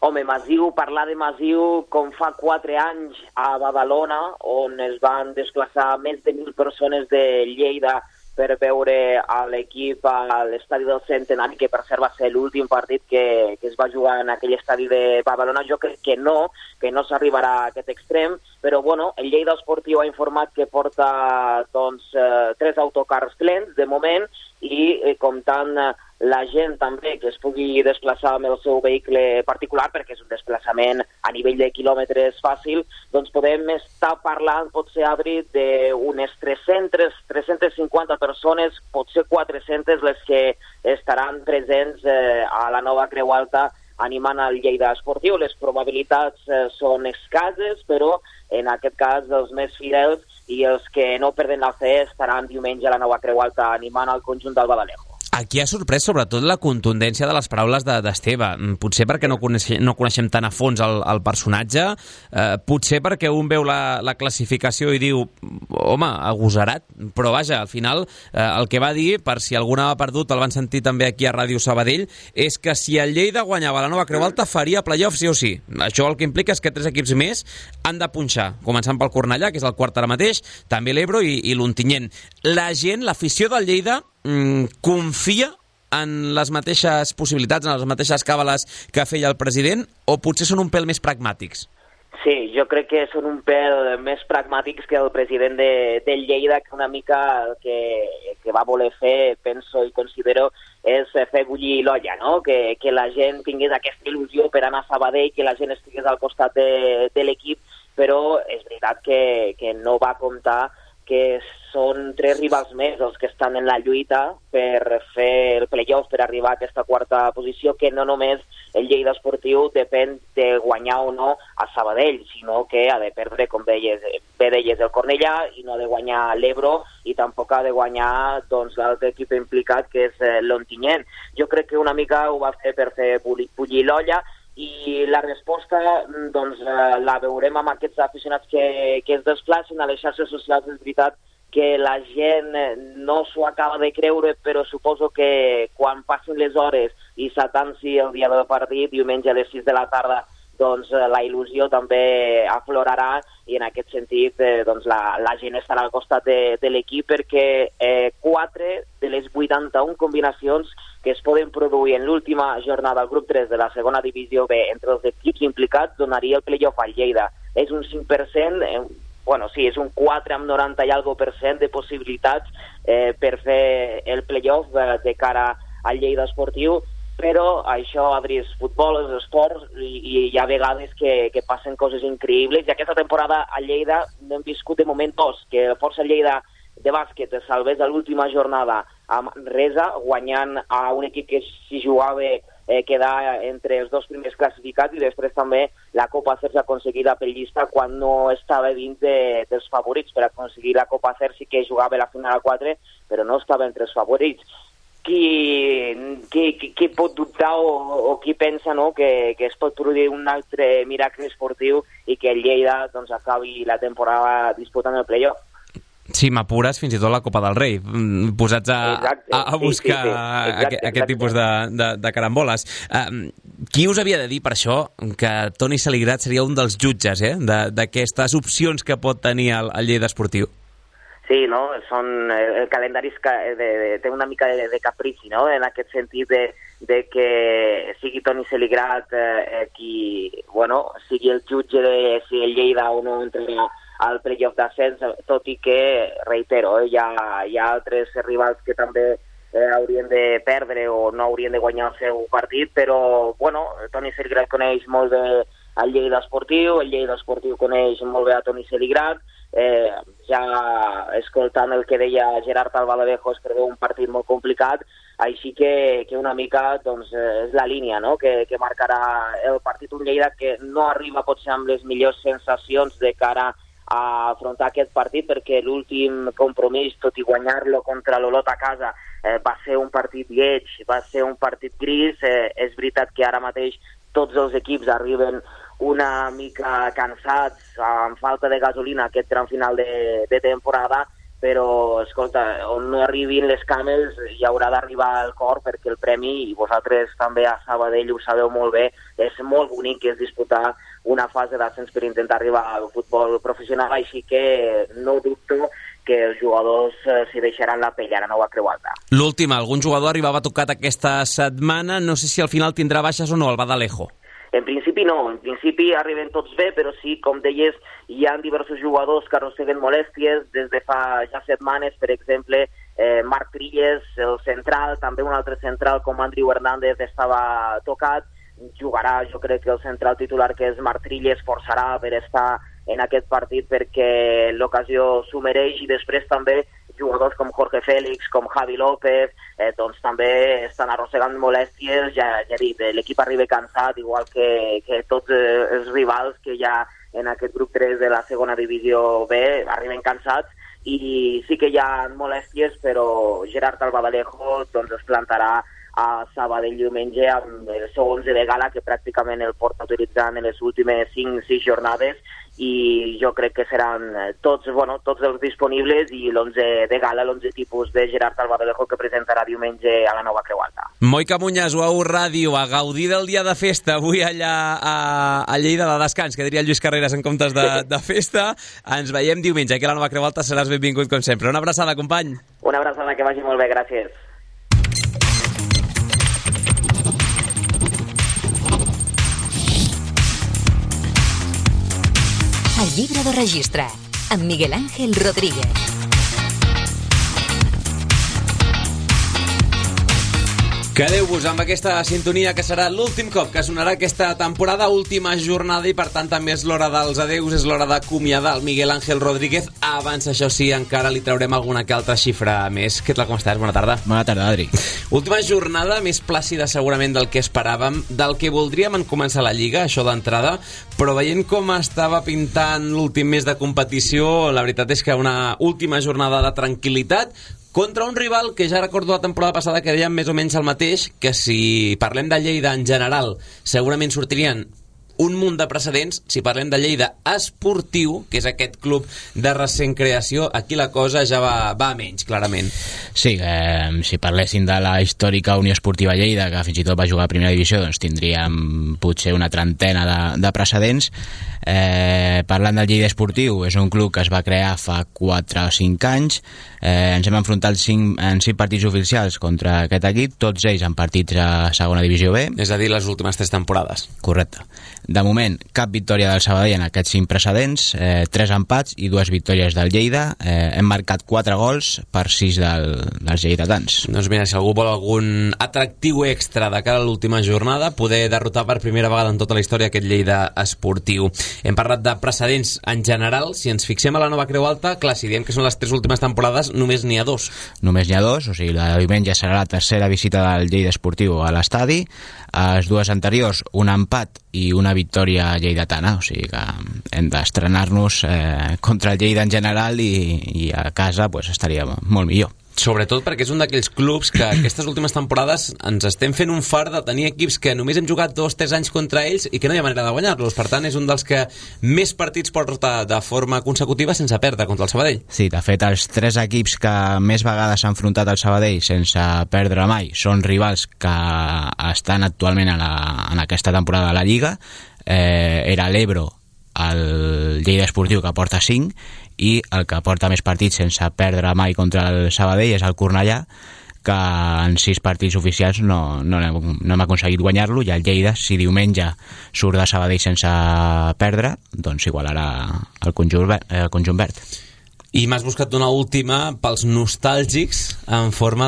Home, massiu, parlar de massiu com fa 4 anys a Badalona, on es van desplaçar més de 1.000 persones de Lleida per veure a l'equip a l'estadi del Centenari, que per cert va ser l'últim partit que es va jugar en aquell estadi de Badalona. Jo crec que no s'arribarà a aquest extrem, però bueno, el Lleida Esportiu ha informat que porta 3 autocars plens de moment i comptant la gent també que es pugui desplaçar amb el seu vehicle particular, perquè és un desplaçament a nivell de quilòmetres fàcil, doncs podem estar parlant, potser, Adri, d'unes 350 persones, potser 400 les que estaran presents a la nova Creu Alta animant el Lleida Esportiu. Les probabilitats són escasses, però en aquest cas els més fidels i els que no perden la fe estaran diumenge a la nova Creu Alta animant el conjunt del Badalego. Aquí ha sorprès sobretot la contundència de les paraules d'Esteve. Potser perquè no coneixem tan a fons el personatge, potser perquè un veu la classificació i diu, home, agosarat, però vaja, al final el que va dir, per si algú n'ha perdut, el van sentir també aquí a Ràdio Sabadell, és que si el Lleida guanyava la nova Creu Alta faria playoff sí o sí. Això el que implica és que 3 equips més han de punxar, començant pel Cornellà, que és el quart ara mateix, també l'Ebro i l'Ontinyent. La gent, l'afició del Lleida, confia en les mateixes possibilitats, en les mateixes càbales que feia el president, o potser són un pèl més pragmàtics? Sí, jo crec que són un pèl més pragmàtics que el president del Lleida, que una mica el que va voler fer, penso i considero, és fer bullir l'olla, no? Que la gent tingués aquesta il·lusió per anar a Sabadell, que la gent estigués al costat de l'equip, però és veritat que no va comptar que són 3 rivals més els que estan en la lluita per fer el playoff, per arribar a aquesta quarta posició, que no només el Lleida Esportiu depèn de guanyar o no a Sabadell, sinó que ha de perdre, com deies, el Cornellà, i no ha de guanyar l'Ebro, i tampoc ha de guanyar l'altre equip implicat, que és l'Ontinyent. Jo crec que una mica ho va fer per fer bullir l'olla, i la resposta la veurem amb aquests aficionats que es desplacen a les xarxes socials. És veritat que la gent no s'ho acaba de creure, però suposo que quan passin les hores i s'atansi el dia del partit, diumenge a les 6 de la tarda, la il·lusió també aflorarà, i en aquest sentit la gent estarà al costat de l'equip, perquè 4 de les 81 combinacions que es poden produir en l'última jornada al grup 3 de la segona divisió B entre els equips implicats donaria el playoff al Lleida. És un 5%, sí, és un 4 amb 90 i algo % de possibilitats per fer el playoff de cara al Lleida Esportiu, però això, Adri, és futbol, és esport, i hi ha vegades que passen coses increïbles, i aquesta temporada a Lleida n'hem viscut de moment 2, que Força Lleida de bàsquet es salvés a l'última jornada a Manresa, guanyant a un equip que s'hi jugava quedar entre els 2 primers classificats, i després també la Copa CERS aconseguida per Llista quan no estava dins dels favorits. Per aconseguir la Copa CERS sí que jugava la final a 4, però no estava entre els favorits. Qui pot dubtar o qui pensa que es pot produir un altre miracle esportiu i que el Lleida acabi la temporada disputant el playoff? Sí, m'apures fins i tot la Copa del Rei, posats a buscar aquest tipus de caramboles. Qui us havia de dir per això que Toni Saligrat seria un dels jutges d'aquestes opcions que pot tenir el Lleida Esportiu? Sí, no? El calendari té una mica de caprici, no? En aquest sentit de que sigui Toni Saligrat qui sigui el jutge de si el Lleida o no entrarà al playoff d'ascens, tot i que, reitero, hi ha altres rivals que també haurien de perdre o no haurien de guanyar el seu partit, però Toni Saligrat coneix molt bé al Lleida Esportiu. El Lleida Esportiu coneix molt bé a Toni Celigrat. Ja escoltant el que deia Gerard Albaladejo, es preveu un partit molt complicat, així que una mica doncs, és la línia, no?, que marcarà el partit. Un Lleida que no arriba potser amb les millors sensacions de cara a afrontar aquest partit, perquè l'últim compromís, tot i guanyar-lo contra l'Olot a casa, va ser un partit lleig, va ser un partit gris. És veritat que ara mateix tots els equips arriben una mica cansats, amb falta de gasolina aquest tram final de temporada, però, escolta, on no arribin les camels hi haurà d'arribar el cor, perquè el premi, i vosaltres també a Sabadell ho sabeu molt bé, és molt bonic, que és disputar una fase d'ascens per intentar arribar al futbol professional, així que no dubto que els jugadors s'hi deixaran la pell a la Nova Creu Alta. L'última, algun jugador arribava tocat aquesta setmana, no sé si al final tindrà baixes o no, el Badalejo. En principi no, en principi arriben tots bé, però sí, com deies, hi ha diversos jugadors que arrosseguen molèsties des de fa ja setmanes. Per exemple, Marc Trilles, el central, també un altre central com Andrew Hernández estava tocat. Jugarà, jo crec que el central titular, que és Marc Trilles, forçarà per estar en aquest partit perquè l'ocasió s'ho mereix, i després també jugadors com Jorge Félix, com Javi López, doncs també estan arrossegant molèsties. Ja he dit, l'equip arriba cansat, igual que tots els rivals que hi ha en aquest grup 3 de la segona divisió B, arriben cansats, i sí que hi ha molèsties, però Gerard Albaladejo doncs es plantarà a Sabadell diumenge amb el seu 11 de gala, que pràcticament el porta utilitzant en les últimes 5-6 jornades, i jo crec que seran tots els disponibles, i l'11 de gala, l'11 tipus de Gerard Albaladejo, que presentarà diumenge a la Nova Creu Alta. Moica Muñas, UAU Ràdio, a gaudir del dia de festa avui allà a Lleida, de descans, que diria el Lluís Carreras en comptes de festa. Ens veiem diumenge, aquí a la Nova Creu Alta seràs benvingut com sempre. Una abraçada, company. Una abraçada, que vagi molt bé, gràcies. El llibre de registre, amb Miguel Ángel Rodríguez. Quedeu-vos amb aquesta sintonia, que serà l'últim cop que sonarà aquesta temporada, última jornada, i per tant també és l'hora dels adeus, és l'hora d'acomiadar el Miguel Ángel Rodríguez. Abans, això sí, encara li traurem alguna que altra xifra més. Què tal, com estàs? Bona tarda. Bona tarda, Adri. Última jornada, més plàcida segurament del que esperàvem, del que voldríem en començar la Lliga, això d'entrada, però veient com estava pintant l'últim mes de competició, la veritat és que una última jornada de tranquil·litat, contra un rival que ja recordo la temporada passada que dèiem més o menys el mateix, que si parlem de Lleida en general segurament sortirien un munt de precedents. Si parlem de Lleida Esportiu, que és aquest club de recent creació, aquí la cosa ja va a menys, clarament. Sí, si parléssim de la històrica Unió Esportiva Lleida, que fins i tot va jugar a primera divisió, doncs tindríem potser una trentena de precedents. Parlant del Lleida Esportiu, és un club que es va crear fa 4 o 5 anys. Ens hem enfrontat en 5 partits oficials contra aquest equip, tots ells en partits a segona divisió B. És a dir, les últimes 3 temporades. Correcte. De moment, cap victòria del Sabadell en aquests 5 precedents, 3 empats i 2 victòries del Lleida. Hem marcat 4 gols per 6 dels lleidatans. Doncs mira, si algú vol algun atractiu extra de cara a l'última jornada, poder derrotar per primera vegada en tota la història aquest Lleida Esportiu. Hem parlat de precedents en general. Si ens fixem a la Nova Creu Alta, clar, si diem que són les 3 últimes temporades, només n'hi ha 2. Només n'hi ha 2, o sigui, la de diumenge serà la tercera visita del Lleida Esportiu a l'estadi. Les 2 anteriors, un empat i una victòria lleidatana, o sigui que hem d'estrenar-nos contra el Lleida en general, i a casa pues, estaria molt millor. Sobretot perquè és un d'aquells clubs que aquestes últimes temporades ens estem fent un fart de tenir equips que només hem jugat 2-3 anys contra ells i que no hi ha manera de guanyar-los. Per tant, és un dels que més partits porta de forma consecutiva sense perdre contra el Sabadell. Sí, de fet, els 3 equips que més vegades s'han enfrontat al Sabadell sense perdre mai són rivals que estan actualment en aquesta temporada de la Lliga. Era l'Ebro, el Lleida Esportiu, que porta 5, i el que porta més partits sense perdre mai contra el Sabadell és el Cornellà, que en 6 partits oficials no hem aconseguit guanyar-lo, i el Lleida, si diumenge surt de Sabadell sense perdre, doncs igualarà el conjunt verd. I m'has buscat una última pels nostàlgics en forma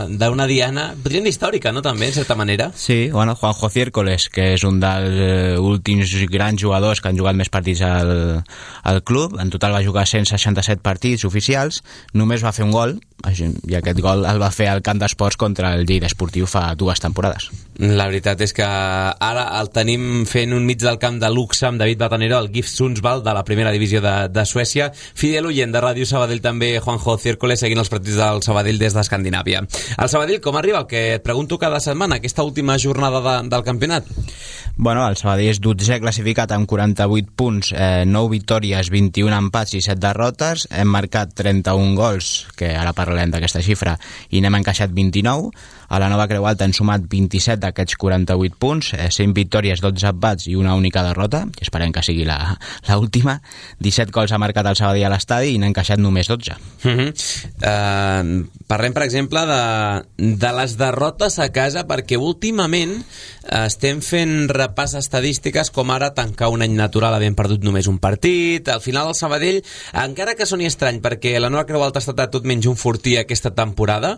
d'una diana, podríem dir històrica, no, també, en certa manera? Sí, bueno, Juanjo Ciércoles, que és un dels últims grans jugadors que han jugat més partits al club. En total va jugar 167 partits oficials, només va fer un gol, i aquest gol el va fer al Camp d'Esports contra el Lleida Esportiu fa 2 temporades. La veritat és que ara el tenim fent un mig del camp de luxe amb David Batanero, el GIF Sundsvall de la primera divisió de Suècia. Fidel oient de Ràdio Sabadell també, Juanjo Ciércoles, seguint els partits del Sabadell des d'Escandinàvia. El Sabadell, com arriba? El que et pregunto cada setmana, aquesta última jornada del campionat. Bueno, el Sabadell és 12è classificat amb 48 punts, 9 victòries, 21 empats i 7 derrotes. Hem marcat 31 gols, que ara parlarem d'aquesta xifra, i n'hem encaixat 29. A la Nova Creu Alta hem sumat 27 d'aquests 48 punts, 100 victòries, 12 empats i una única derrota, i esperem que sigui l'última. 17 gols ha marcat el Sabadell a l'estadi i n'ha encaixat només 12. Parlem, per exemple, de les derrotes a casa, perquè últimament estem fent repàs estadístiques, com ara tancar un any natural havent perdut només un partit. Al final el Sabadell, encara que soni estrany perquè la Nova Creu Alta ha estat tot menys un fortí aquesta temporada,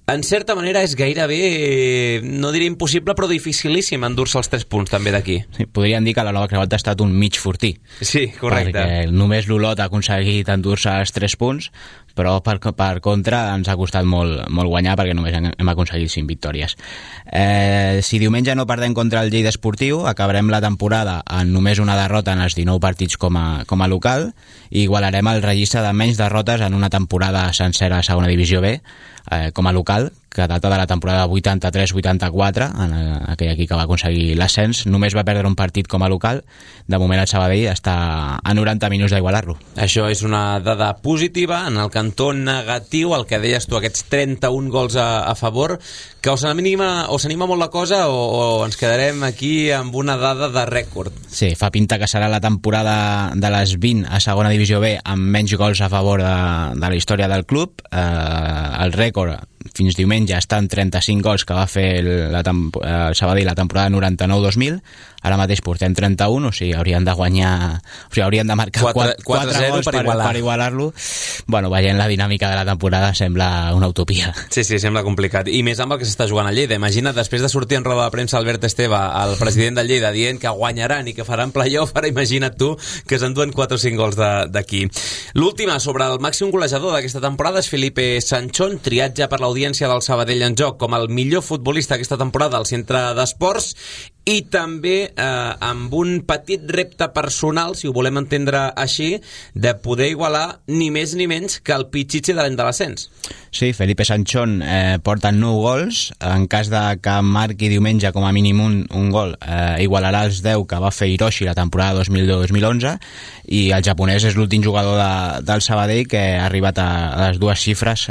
en certa manera és gairebé, no diré impossible, però dificilíssim endur-se els 3 punts també d'aquí. Sí, podríem dir que la Nova Creu Alta ha estat un mig fortí. Sí, correcte. Perquè només l'Olot ha aconseguit endur-se els 3 punts, però per contra ens ha costat molt guanyar, perquè només hem aconseguit 5 victòries. Si diumenge no perdem contra el Lleida Esportiu, acabarem la temporada en només una derrota en els 19 partits com a local, i igualarem el registre de menys derrotes en una temporada sencera a segona divisió B com a local, que data de la temporada 83-84, en aquell equip que va aconseguir l'ascens. Només va perdre un partit com a local. De moment el Sabadell està a 90 minuts d'igualar-lo. Això és una dada positiva. En el cantó negatiu, el que deies tu, aquests 31 gols a favor, que o s'anima molt la cosa o ens quedarem aquí amb una dada de rècord. Sí, fa pinta que serà la temporada de les 20 a segona divisió B amb menys gols a favor de la història del club. El rècord fins diumenge està en 35 gols que va fer el Sabadell la temporada 99-2000. Ara mateix portem 31, o sigui, haurien de guanyar, o sigui, haurien de marcar 4 gols per igualar-lo. Bueno, veient la dinàmica de la temporada sembla una utopia. Sí, sembla complicat. I més amb el que s'està jugant a Lleida. Imagina't, després de sortir en roda de premsa Albert Esteve, el president del Lleida, dient que guanyaran i que faran playoff, ara imagina't tu que s'enduen 4 o 5 gols d'aquí. L'última, sobre el màxim golejador d'aquesta temporada, és Felipe Sanchón, triat ja per l'audiència del Sabadell en Joc com el millor futbolista aquesta temporada al Centre d'Esports, i també amb un petit repte personal, si ho volem entendre així, de poder igualar ni més ni menys que el Pichichi de l'any de l'ascens. Sí, Felipe Sanchón porta 9 gols. En cas de que marqui diumenge com a mínim un gol, igualarà els 10 que va fer Hiroshi la temporada 2010-2011, i el japonès és l'últim jugador del Sabadell que ha arribat a les 2 xifres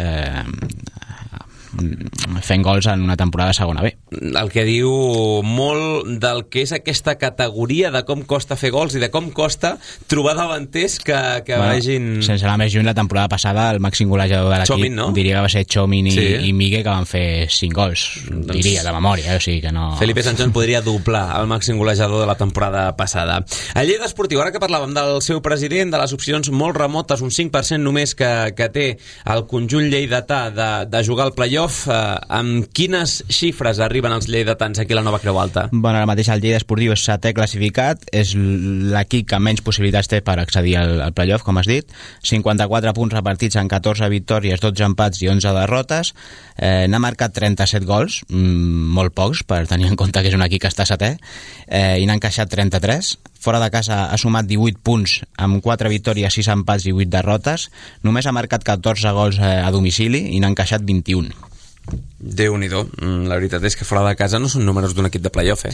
fent gols en una temporada de segona B. El que diu molt del que és aquesta categoria, de com costa fer gols i de com costa trobar davanters que vegin... Sense anar més lluny, la temporada passada el màxim golejador de l'equip, Chomin, no? Diria que va ser Chomin i Migue, que van fer 5 gols, diria, de memòria, o sigui que no... Felipe Sanchón podria doblar el màxim golejador de la temporada passada. El Lleida Esportiu, ara que parlàvem del seu president, de les opcions molt remotes, un 5% només que té el conjunt lleidatà de jugar al playoff, amb quines xifres arriben els lleidatans aquí a la Nova Creu Alta? Bueno, ara mateix el Lleida Esportiu és 7è classificat, és l'equip que menys possibilitats té per accedir al playoff, com has dit. 54 punts repartits en 14 victòries, 12 empats i 11 derrotes. N'ha marcat 37 gols, molt pocs per tenir en compte que és un equip que està 7è, i n'ha encaixat 33. Fora de casa ha sumat 18 punts amb 4 victòries, 6 empats i 8 derrotes. Només ha marcat 14 gols a domicili i n'ha encaixat 21. Déu-n'hi-do. La veritat és que fora de casa no són números d'un equip de playoff,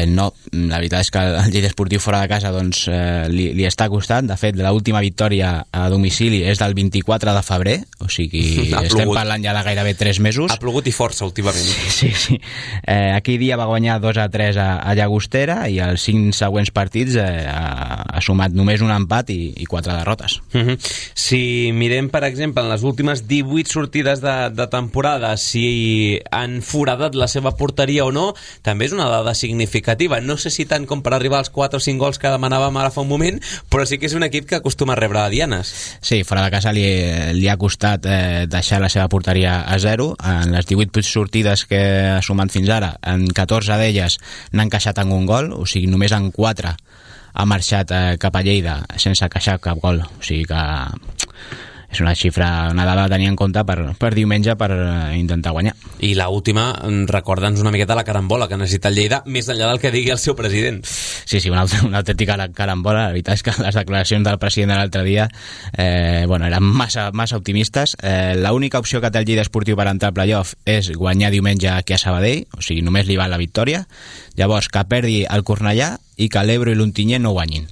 No, la veritat és que el Lleida Esportiu fora de casa doncs, li està costant. De fet, l'última victòria a domicili és del 24 de febrer, o sigui, estem parlant ja de gairebé 3 mesos. Ha plogut i força últimament. Sí. Aquell dia va guanyar 2-3 a Llagostera, i els 5 següents partits ha sumat només un empat i 4 derrotes. Si mirem, per exemple, en les últimes 18 sortides de temporada, si han foradat la seva porteria o no, també és una dada significativa. No sé si tant com per arribar als 4 o 5 gols que demanàvem ara fa un moment, però sí que és un equip que acostuma a rebre dianes. Sí, fora de casa li ha costat deixar la seva porteria a 0. En les 18 sortides que ha sumat fins ara, en 14 d'elles n'ha encaixat en un gol, o sigui, només en 4 ha marxat cap a Lleida sense encaixar cap gol, o sigui que és una xifra, una dada a tenir en compte per diumenge per intentar guanyar. I l'última, recorda'ns una miqueta la carambola que necessita el Lleida, més enllà del que digui el seu president. Sí, una autèntica carambola. La veritat és que les declaracions del president de l'altre dia eren massa optimistes. L'única opció que té el Lleida Esportiu per entrar al playoff és guanyar diumenge aquí a Sabadell, o sigui, només li val la victòria. Llavors, que perdi el Cornellà i que l'Ebro i l'Ontinyent no guanyin.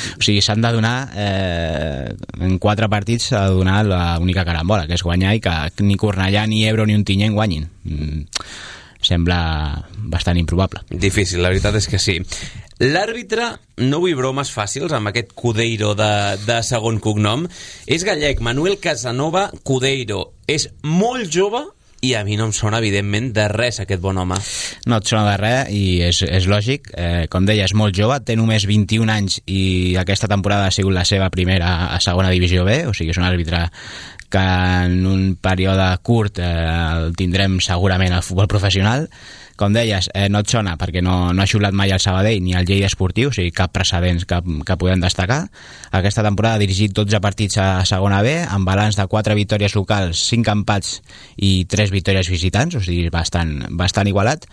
O sigui, s'han de donar en 4 partits s'ha de donar l'única carambola, que és guanyar, i que ni Cornellà, ni Ebro, ni Ontinyent guanyin. Sembla bastant improbable. Difícil, la veritat és que sí. L'àrbitre, no vull bromes fàcils amb aquest Cudeiro de segon cognom, és gallec, Manuel Casanova Cudeiro. És molt jove i a mi no em sona, evidentment, de res aquest bon home. No et sona de res i és lògic. Com deia, és molt jove, té només 21 anys i aquesta temporada ha sigut la seva primera a segona divisió B, o sigui, és un àrbitre que en un període curt el tindrem segurament al futbol professional. Com deies, no et sona perquè no ha xiulat mai al Sabadell ni al Lleida Esportiu, o sigui, cap precedents que podem destacar. Aquesta temporada ha dirigit 12 partits a segona B, amb balanç de 4 victòries locals, 5 empats i 3 victòries visitants, o sigui, bastant igualat.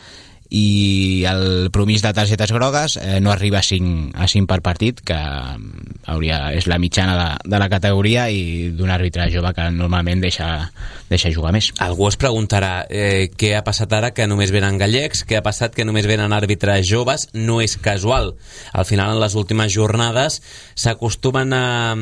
I el promís de targetes grogues no arriba a 5 per partit, que és la mitjana de la categoria i d'un àrbitre jove que normalment deixa jugar més. Algú es preguntarà què ha passat ara que només venen gallecs, què ha passat que només venen àrbitres joves. No és casual. Al final, en les últimes jornades s'acostumen a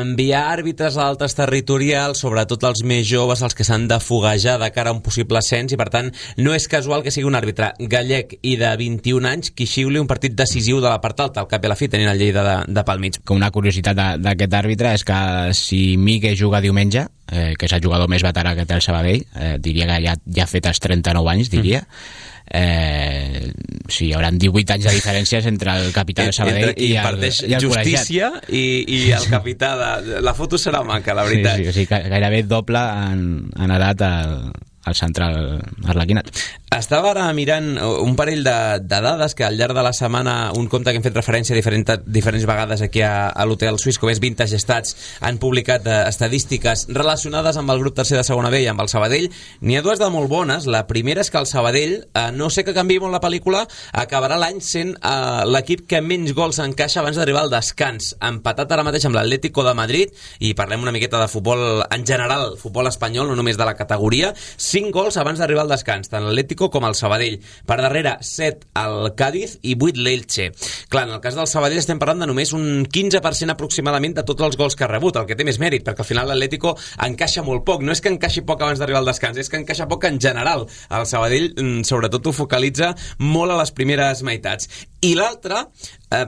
enviar àrbitres a altres territorials, sobretot els més joves, els que s'han de foguejar de cara a un possible ascens, i per tant no és casual que sigui un àrbitre gallec i de 21 anys qui xiuli un partit decisiu de la part alta, al cap i a la fi tenint el Lleida de pel mig. Una curiositat d'aquest àrbitre és que si Migue juga diumenge, que és el jugador més veterà que té el Sabadell, diria que ja ha fet els 39 anys, diria. Sí, hi haurà 18 anys de diferències entre el capità del Sabadell i el justícia i el capità la foto serà maca, la veritat. Sí, o sigui, gairebé doble en edat al central arlequinat. Estava ara mirant un parell de dades que al llarg de la setmana, un compte que hem fet referència diferents vegades aquí a l'Hotel Suís, com és Vintage Stats, han publicat estadístiques relacionades amb el grup tercer de segona B i amb el Sabadell. N'hi ha dues de molt bones. La primera és que el Sabadell, no sé que canviï molt la pel·lícula, acabarà l'any sent l'equip que menys gols encaixa abans d'arribar al descans, empatat ara mateix amb l'Atlético de Madrid, i parlem una miqueta de futbol en general, futbol espanyol, no només de la categoria. 5 gols abans d'arribar al descans, tant l'Atlético com el Sabadell. Per darrere, 7 al Cádiz i 8 l'Elche. Clar, en el cas del Sabadell estem parlant de només un 15% aproximadament de tots els gols que ha rebut, el que té més mèrit, perquè al final l'Atlético encaixa molt poc. No és que encaixi poc abans d'arribar al descans, és que encaixa poc en general. El Sabadell, sobretot, ho focalitza molt a les primeres meitats. I l'altre,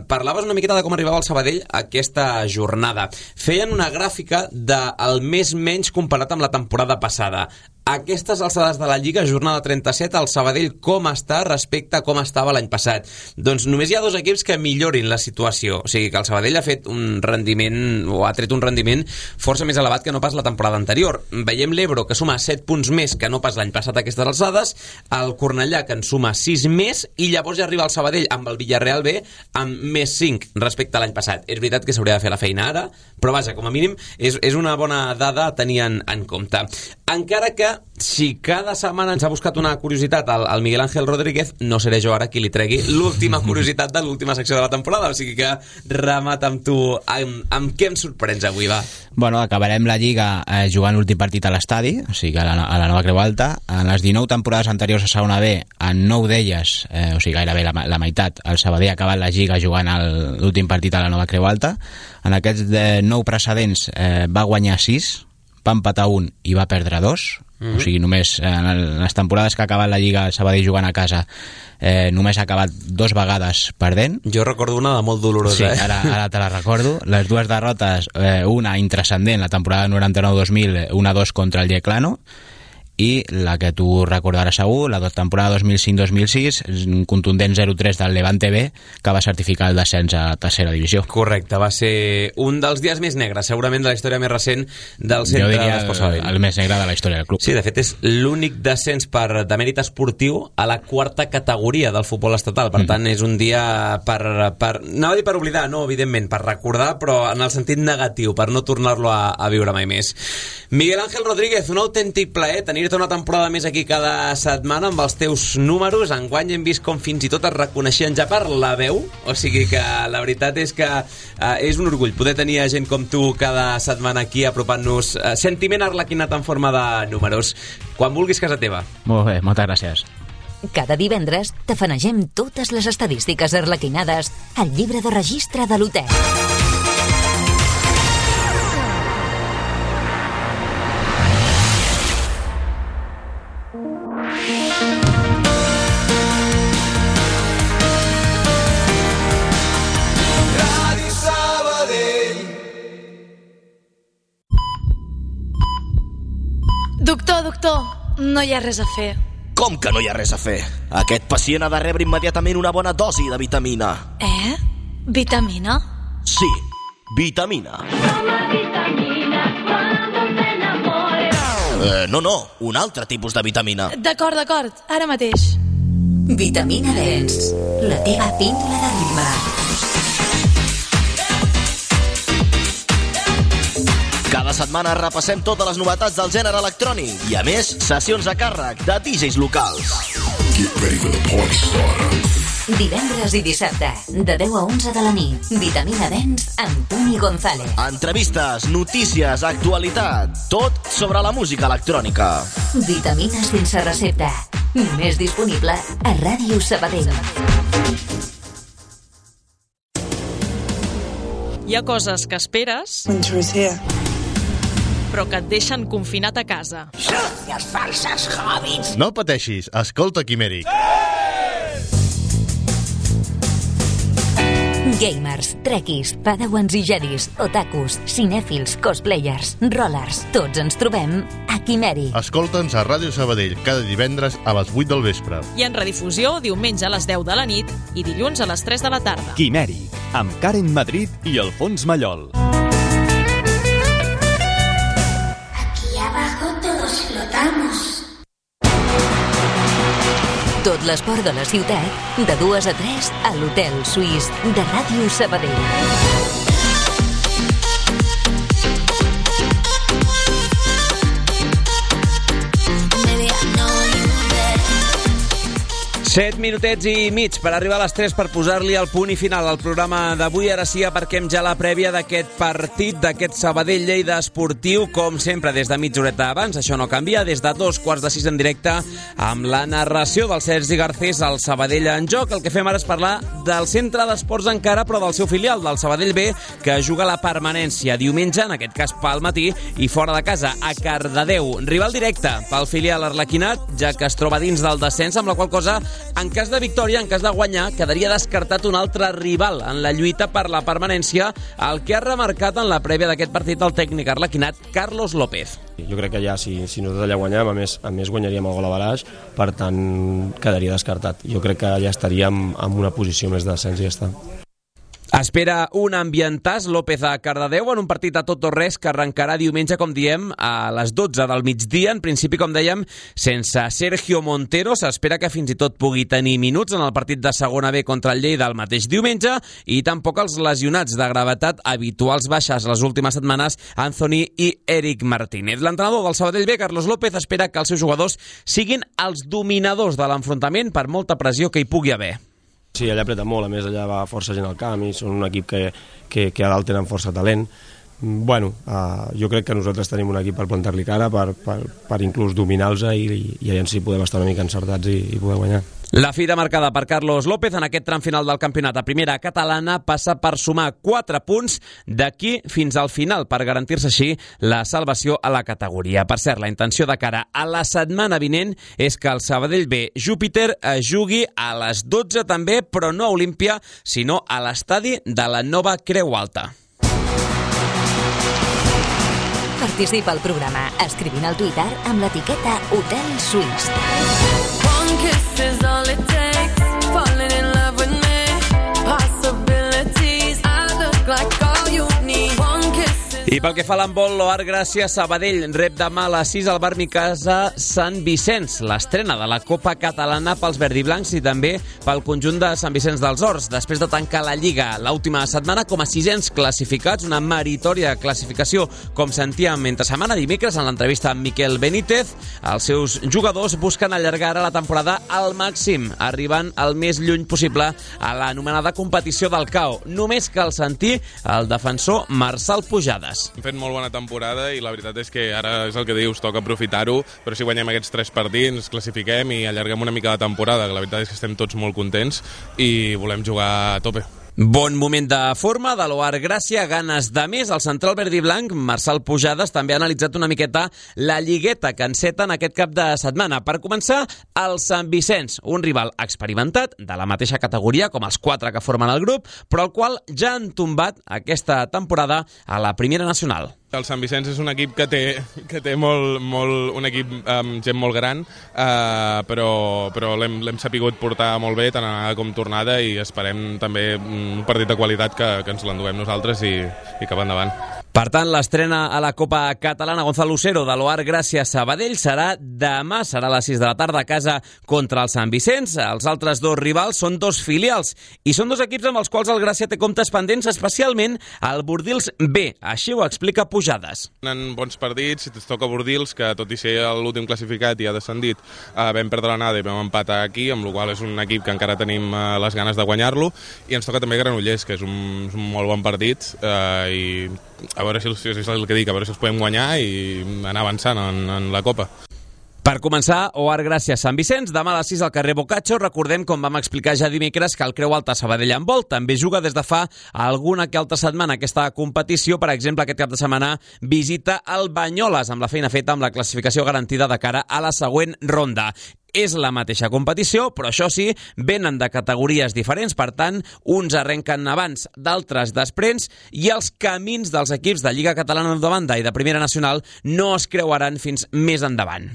parlaves una miqueta de com arribava el Sabadell aquesta jornada. Feien una gràfica del més menys comparat amb la temporada passada. Aquestes alçades de la Lliga, jornada 37, el Sabadell com està respecte a com estava l'any passat? Doncs només hi ha 2 equips que millorin la situació. O sigui que el Sabadell ha fet un rendiment, o ha tret un rendiment força més elevat que no pas la temporada anterior. Veiem l'Ebro, que suma 7 punts més que no pas l'any passat a aquestes alçades, el Cornellà, que en suma 6 més, i llavors ja arriba el Sabadell amb el Villarreal B amb més 5 respecte a l'any passat. És veritat que s'hauria de fer la feina ara, però vaja, com a mínim és una bona dada a tenir en compte. Encara que si cada setmana ens ha buscat una curiositat al Miguel Ángel Rodríguez, no seré jo ara qui li tregui l'última curiositat de l'última secció de la temporada, o sigui que remata amb tu. Amb què em sorprens avui, va? Bueno, acabarem la Lliga jugant l'últim partit a l'estadi, o sigui a la Nova Creu Alta. En les 19 temporades anteriors a segona B, en 9 d'elles, o sigui gairebé la meitat, el Sabadell ha acabat la Lliga jugant l'últim partit a la Nova Creu Alta. En aquests 9 precedents va guanyar 6, va empatar 1 i va perdre 2. O sigui, només en les temporades que ha acabat la Lliga el Sabadell jugant a casa només ha acabat 2 vegades perdent. Jo recordo una de molt dolorosa. Sí, ara te la recordo. Les 2 derrotes, una intrascendent, la temporada 99-2000, 1-2 contra el Yeclano, i la que tu recordaràs segur, la temporada 2005-2006, un contundent 0-3 del Levante B, que va certificar el descens a tercera divisió. Correcte, va ser un dels dies més negres, segurament de la història més recent del centre d'Esport Sabadell. El més negre de la història del club. Sí, de fet és l'únic descens de mèrit esportiu a la 4ª categoria del futbol estatal, per tant és un dia per anava a dir per oblidar, no, evidentment, per recordar, però en el sentit negatiu, per no tornar-lo a viure mai més. Miguel Ángel Rodríguez, un autèntic plaer tenir-te una temporada més aquí cada setmana amb els teus números. Enguany hem vist com fins i tot es reconeixien ja per la veu, o sigui que la veritat és que és un orgull poder tenir gent com tu cada setmana aquí apropant-nos sentiment arlequinat en forma de números. Quan vulguis, casa teva. Molt bé, moltes gràcies. Cada divendres tafanegem totes les estadístiques arlequinades al llibre de registre de l'hotel. Doctor, no hi ha res a fer. Com que no hi ha res a fer? Aquest pacient ha de rebre immediatament una bona dosi de vitamina. Vitamina? Sí, vitamina. No, un altre tipus de vitamina. D'acord, ara mateix. Vitamina Dens, la teva píndola de ritme. Cada setmana repassem totes les novetats del gènere electrònic i, a més, sessions a càrrec de DJs locals. Divendres i dissabte, de 10 a 11 de la nit, Vitamina Dens amb Toni González. Entrevistes, notícies, actualitat, tot sobre la música electrònica. Vitamines sense recepta, només disponible a Ràdio Sabadell. Hi ha coses que esperes, però que et deixen confinat a casa. Sucios falsos hobbits. No pateixis, escolta Quimèric. Gamers, trekkies, padawans i jedis, otakus, cinèfils, cosplayers, rollers, tots ens trobem a Quimèric. Escolta'ns a Ràdio Sabadell cada divendres a les 8 del vespre. I en redifusió diumenge a les 10 de la nit i dilluns a les 3 de la tarda. Quimèric, amb Karen Madrid i Alfons Mallol. Aquí abajo todos flotamos. Tot l'esport de la ciutat, de 2 a 3 a l'Hotel Suís de Ràdio Sabadell. 7 minutets i mig per arribar a les 3 per posar-li el punt i final al programa d'avui. Ara sí, aparquem ja la prèvia d'aquest partit, d'aquest Sabadell-Lleida esportiu, com sempre, des de mitja horeta abans. Això no canvia, des de 5:45 en directe, amb la narració del Sergi Garcés, al Sabadell en joc. El que fem ara és parlar del centre d'esports encara, però del seu filial, del Sabadell B, que juga la permanència diumenge, en aquest cas pel matí, i fora de casa, a Cardedeu. Rival directe pel filial arlequinat, ja que es troba dins del descens, amb la qual cosa, en cas de victòria, en cas de guanyar, quedaria descartat un altre rival en la lluita per la permanència, el que ha remarcat en la prèvia d'aquest partit el tècnic arlequinat, Carlos López. Jo crec que ja, si nosaltres allà guanyem, a més guanyaríem el gol a baraix, per tant quedaria descartat. Jo crec que ja estaríem en una posició més de descens i ja està. Espera un ambientàs López a Cardedeu en un partit a tot o res que arrencarà diumenge, com diem, a les 12 del migdia. En principi, com dèiem, sense Sergio Montero. S'espera que fins i tot pugui tenir minuts en el partit de segona B contra el Lleida el mateix diumenge, i tampoc els lesionats de gravetat habituals baixes les últimes setmanes, Anthony i Eric Martínez. L'entrenador del Sabadell B, Carlos López, espera que els seus jugadors siguin els dominadors de l'enfrontament per molta pressió que hi pugui haver. Sí, allà apreta molt, a més allà va força gent al camp i són un equip que a dalt tenen força talent, Bueno, jo crec que nosaltres tenim un equip per plantar-li cara, per inclús dominar-los i allà sí podem estar una mica encertats i poder guanyar. La fida marcada per Carlos López en aquest tram final del campionat a primera catalana passa per sumar 4 punts d'aquí fins al final per garantir-se així la salvació a la categoria. Per cert, la intenció de cara a la setmana vinent és que el Sabadell B Júpiter jugui a les 12 també, però no a Olímpia, sinó a l'estadi de la nova Creu Alta. Participa al programa escrivint al Twitter amb l'etiqueta Hotel Suís. Is all it takes, falling in love with me, possibilities, I look like all you need, one kiss. I pel que fa a l'handbol, l'Oar Gràcia Sabadell rep demà a les 6 al bar Micasa Sant Vicenç, l'estrena de la Copa Catalana pels verdiblancs i també pel conjunt de Sant Vicenç dels Horts, després de tancar la Lliga l'última setmana com a 600 classificats, una meritòria classificació, com sentíem entre setmana dimecres en l'entrevista amb Miquel Benítez. Els seus jugadors busquen allargar ara la temporada al màxim, arribant el més lluny possible a l'anomenada competició del CAO. Només cal sentir el defensor Marçal Pujades. Hem fet molt bona temporada i la veritat és que ara és el que dius, toca aprofitar-ho, però si guanyem aquests 3 partits, ens classifiquem i allarguem una mica la temporada, que la veritat és que estem tots molt contents i volem jugar a tope. Bon moment de forma de l'Oar Gràcia, ganes de més. El central verd i blanc, Marçal Pujades, també ha analitzat una miqueta la lligueta que enceten aquest cap de setmana. Per començar, el Sant Vicenç, un rival experimentat de la mateixa categoria com els 4 que formen el grup, però el qual ja han tombat aquesta temporada a la Primera Nacional. El Sant Vicenç és un equip que té un equip amb gent molt gran, però l'hem sapigut portar molt bé, tant anada com tornada, i esperem també un partit de qualitat que ens l'enduem nosaltres i cap endavant. Per tant, l'estrena a la Copa Catalana Gonzalo Lucero de l'Oar Gràcia Sabadell serà demà, serà a les 6 de la tarda a casa contra el Sant Vicenç. Els altres 2 rivals són 2 filials i són 2 equips amb els quals el Gràcia té comptes pendents, especialment el Bordils B. Així ho explica Pujades. En bons partits, si es toca Bordils, que tot i ser l'últim classificat i ha descendit, vam perdre l'anada i vam empatar aquí, amb la qual és un equip que encara tenim les ganes de guanyar-lo, i ens toca també Granollers, que és un molt bon partit, i a veure si és el que dic, a veure si els podem guanyar i anar avançant en la Copa. Per començar, Oar Gràcia Sant Vicenç, demà a les 6 al carrer Boccaccio. Recordem, com vam explicar ja dimecres, que el Creu Alta Sabadell handbol també juga des de fa alguna que altra setmana aquesta competició. Per exemple, aquest cap de setmana visita el Banyoles, amb la feina feta amb la classificació garantida de cara a la següent ronda. És la mateixa competició, però això sí, venen de categories diferents, per tant, uns arrenquen abans, d'altres després, i els camins dels equips de Lliga Catalana de banda i de Primera Nacional no es creuaran fins més endavant.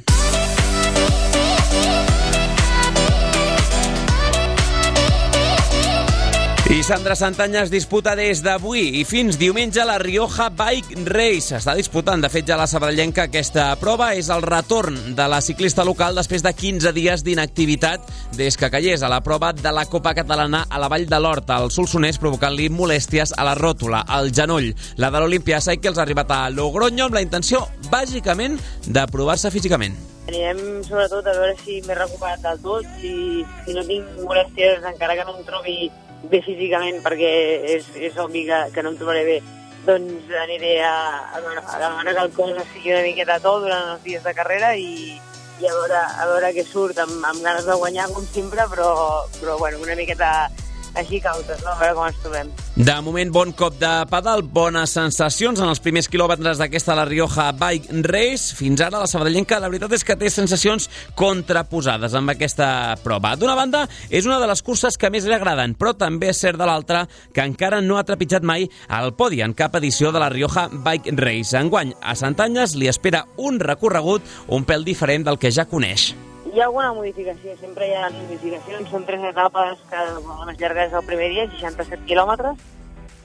I Sandra Santanya es disputa des d'avui i fins diumenge la Rioja Bike Race. Està disputant, de fet, ja la sabadellenca aquesta prova. És el retorn de la ciclista local després de 15 dies d'inactivitat des que cayés a la prova de la Copa Catalana a la Vall de l'Hort, al Solsonès, provocant-li molèsties a la ròtula, al genoll. La de l'Olympia Cycles ha arribat a Logroño amb la intenció, bàsicament, de provar-se físicament. Anirem sobretot a veure si m'he recuperat del tot, si no tinc molèsties, encara que no em trobi bé físicament, perquè és obvi que no em trobaré bé, doncs aniré a veure que el cos estigui una miqueta tot durant els dies de carrera i a veure què surt, amb ganes de guanyar com sempre, però bueno, una miqueta així cautes, no? A veure com ens trobem. De moment, bon cop de pedal, bones sensacions en els primers quilòmetres d'aquesta La Rioja Bike Race. Fins ara la sabadellenca, la veritat és que té sensacions contraposades amb aquesta prova. D'una banda, és una de les curses que més li agraden, però també és cert de l'altra que encara no ha trepitjat mai al podi en cap edició de La Rioja Bike Race. Enguany, a Santanyes li espera un recorregut un pèl diferent del que ja coneix. Hi ha alguna modificació, sempre hi ha modificacions, són 3 etapes que la més llarga és el primer dia, 67 quilòmetres,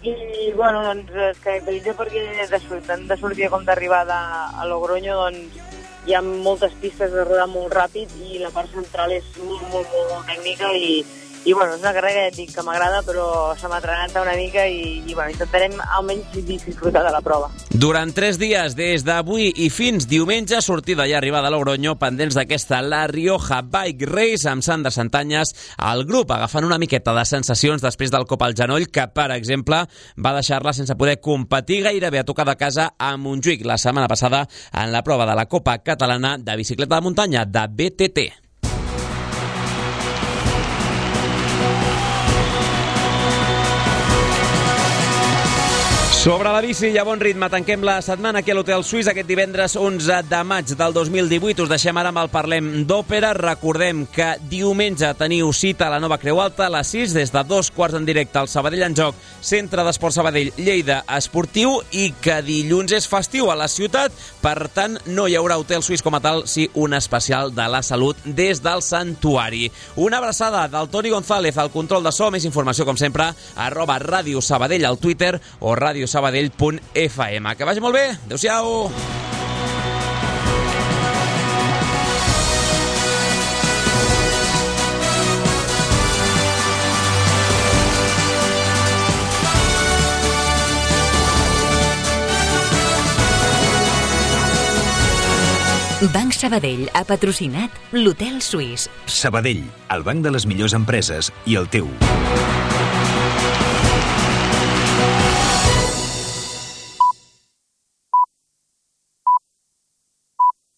i bueno, doncs es caracteritza perquè tant de sortida com d'arribada a Logroño, doncs hi ha moltes pistes de rodar molt ràpid i la part central és molt tècnica i bueno, és una carrera que ja et dic que m'agrada, però se m'ha trenat una mica i bueno, intentarem almenys disfrutar de la prova. Durant 3 dies, des d'avui i fins diumenge, sortida i arribada a Logroño, pendents d'aquesta La Rioja Bike Race amb Sandra Santanyes, el grup agafant una miqueta de sensacions després del cop al genoll que, per exemple, va deixar-la sense poder competir gairebé a tocar de casa a Montjuïc la setmana passada en la prova de la Copa Catalana de Bicicleta de Muntanya, de BTT. Sobre la bici i a bon ritme, tanquem la setmana aquí a l'Hotel Suís aquest divendres 11 de maig del 2018. Us deixem ara amb el Parlem d'Òpera. Recordem que diumenge teniu cita a la Nova Creu Alta a les 6, des de 2:15 en directe al Sabadell en Joc, Centre d'Esport Sabadell, Lleida Esportiu, i que dilluns és festiu a la ciutat, per tant no hi haurà Hotel Suís com a tal, sí un especial de la salut des del Santuari. Una abraçada del Toni González al control de so. Més informació, com sempre, @Ràdio Sabadell al Twitter o radiosabadell.fm. Que vagi molt bé. Adéu-siau. Banc Sabadell ha patrocinat l'Hotel Suís. Sabadell, el banc de les millors empreses i el teu.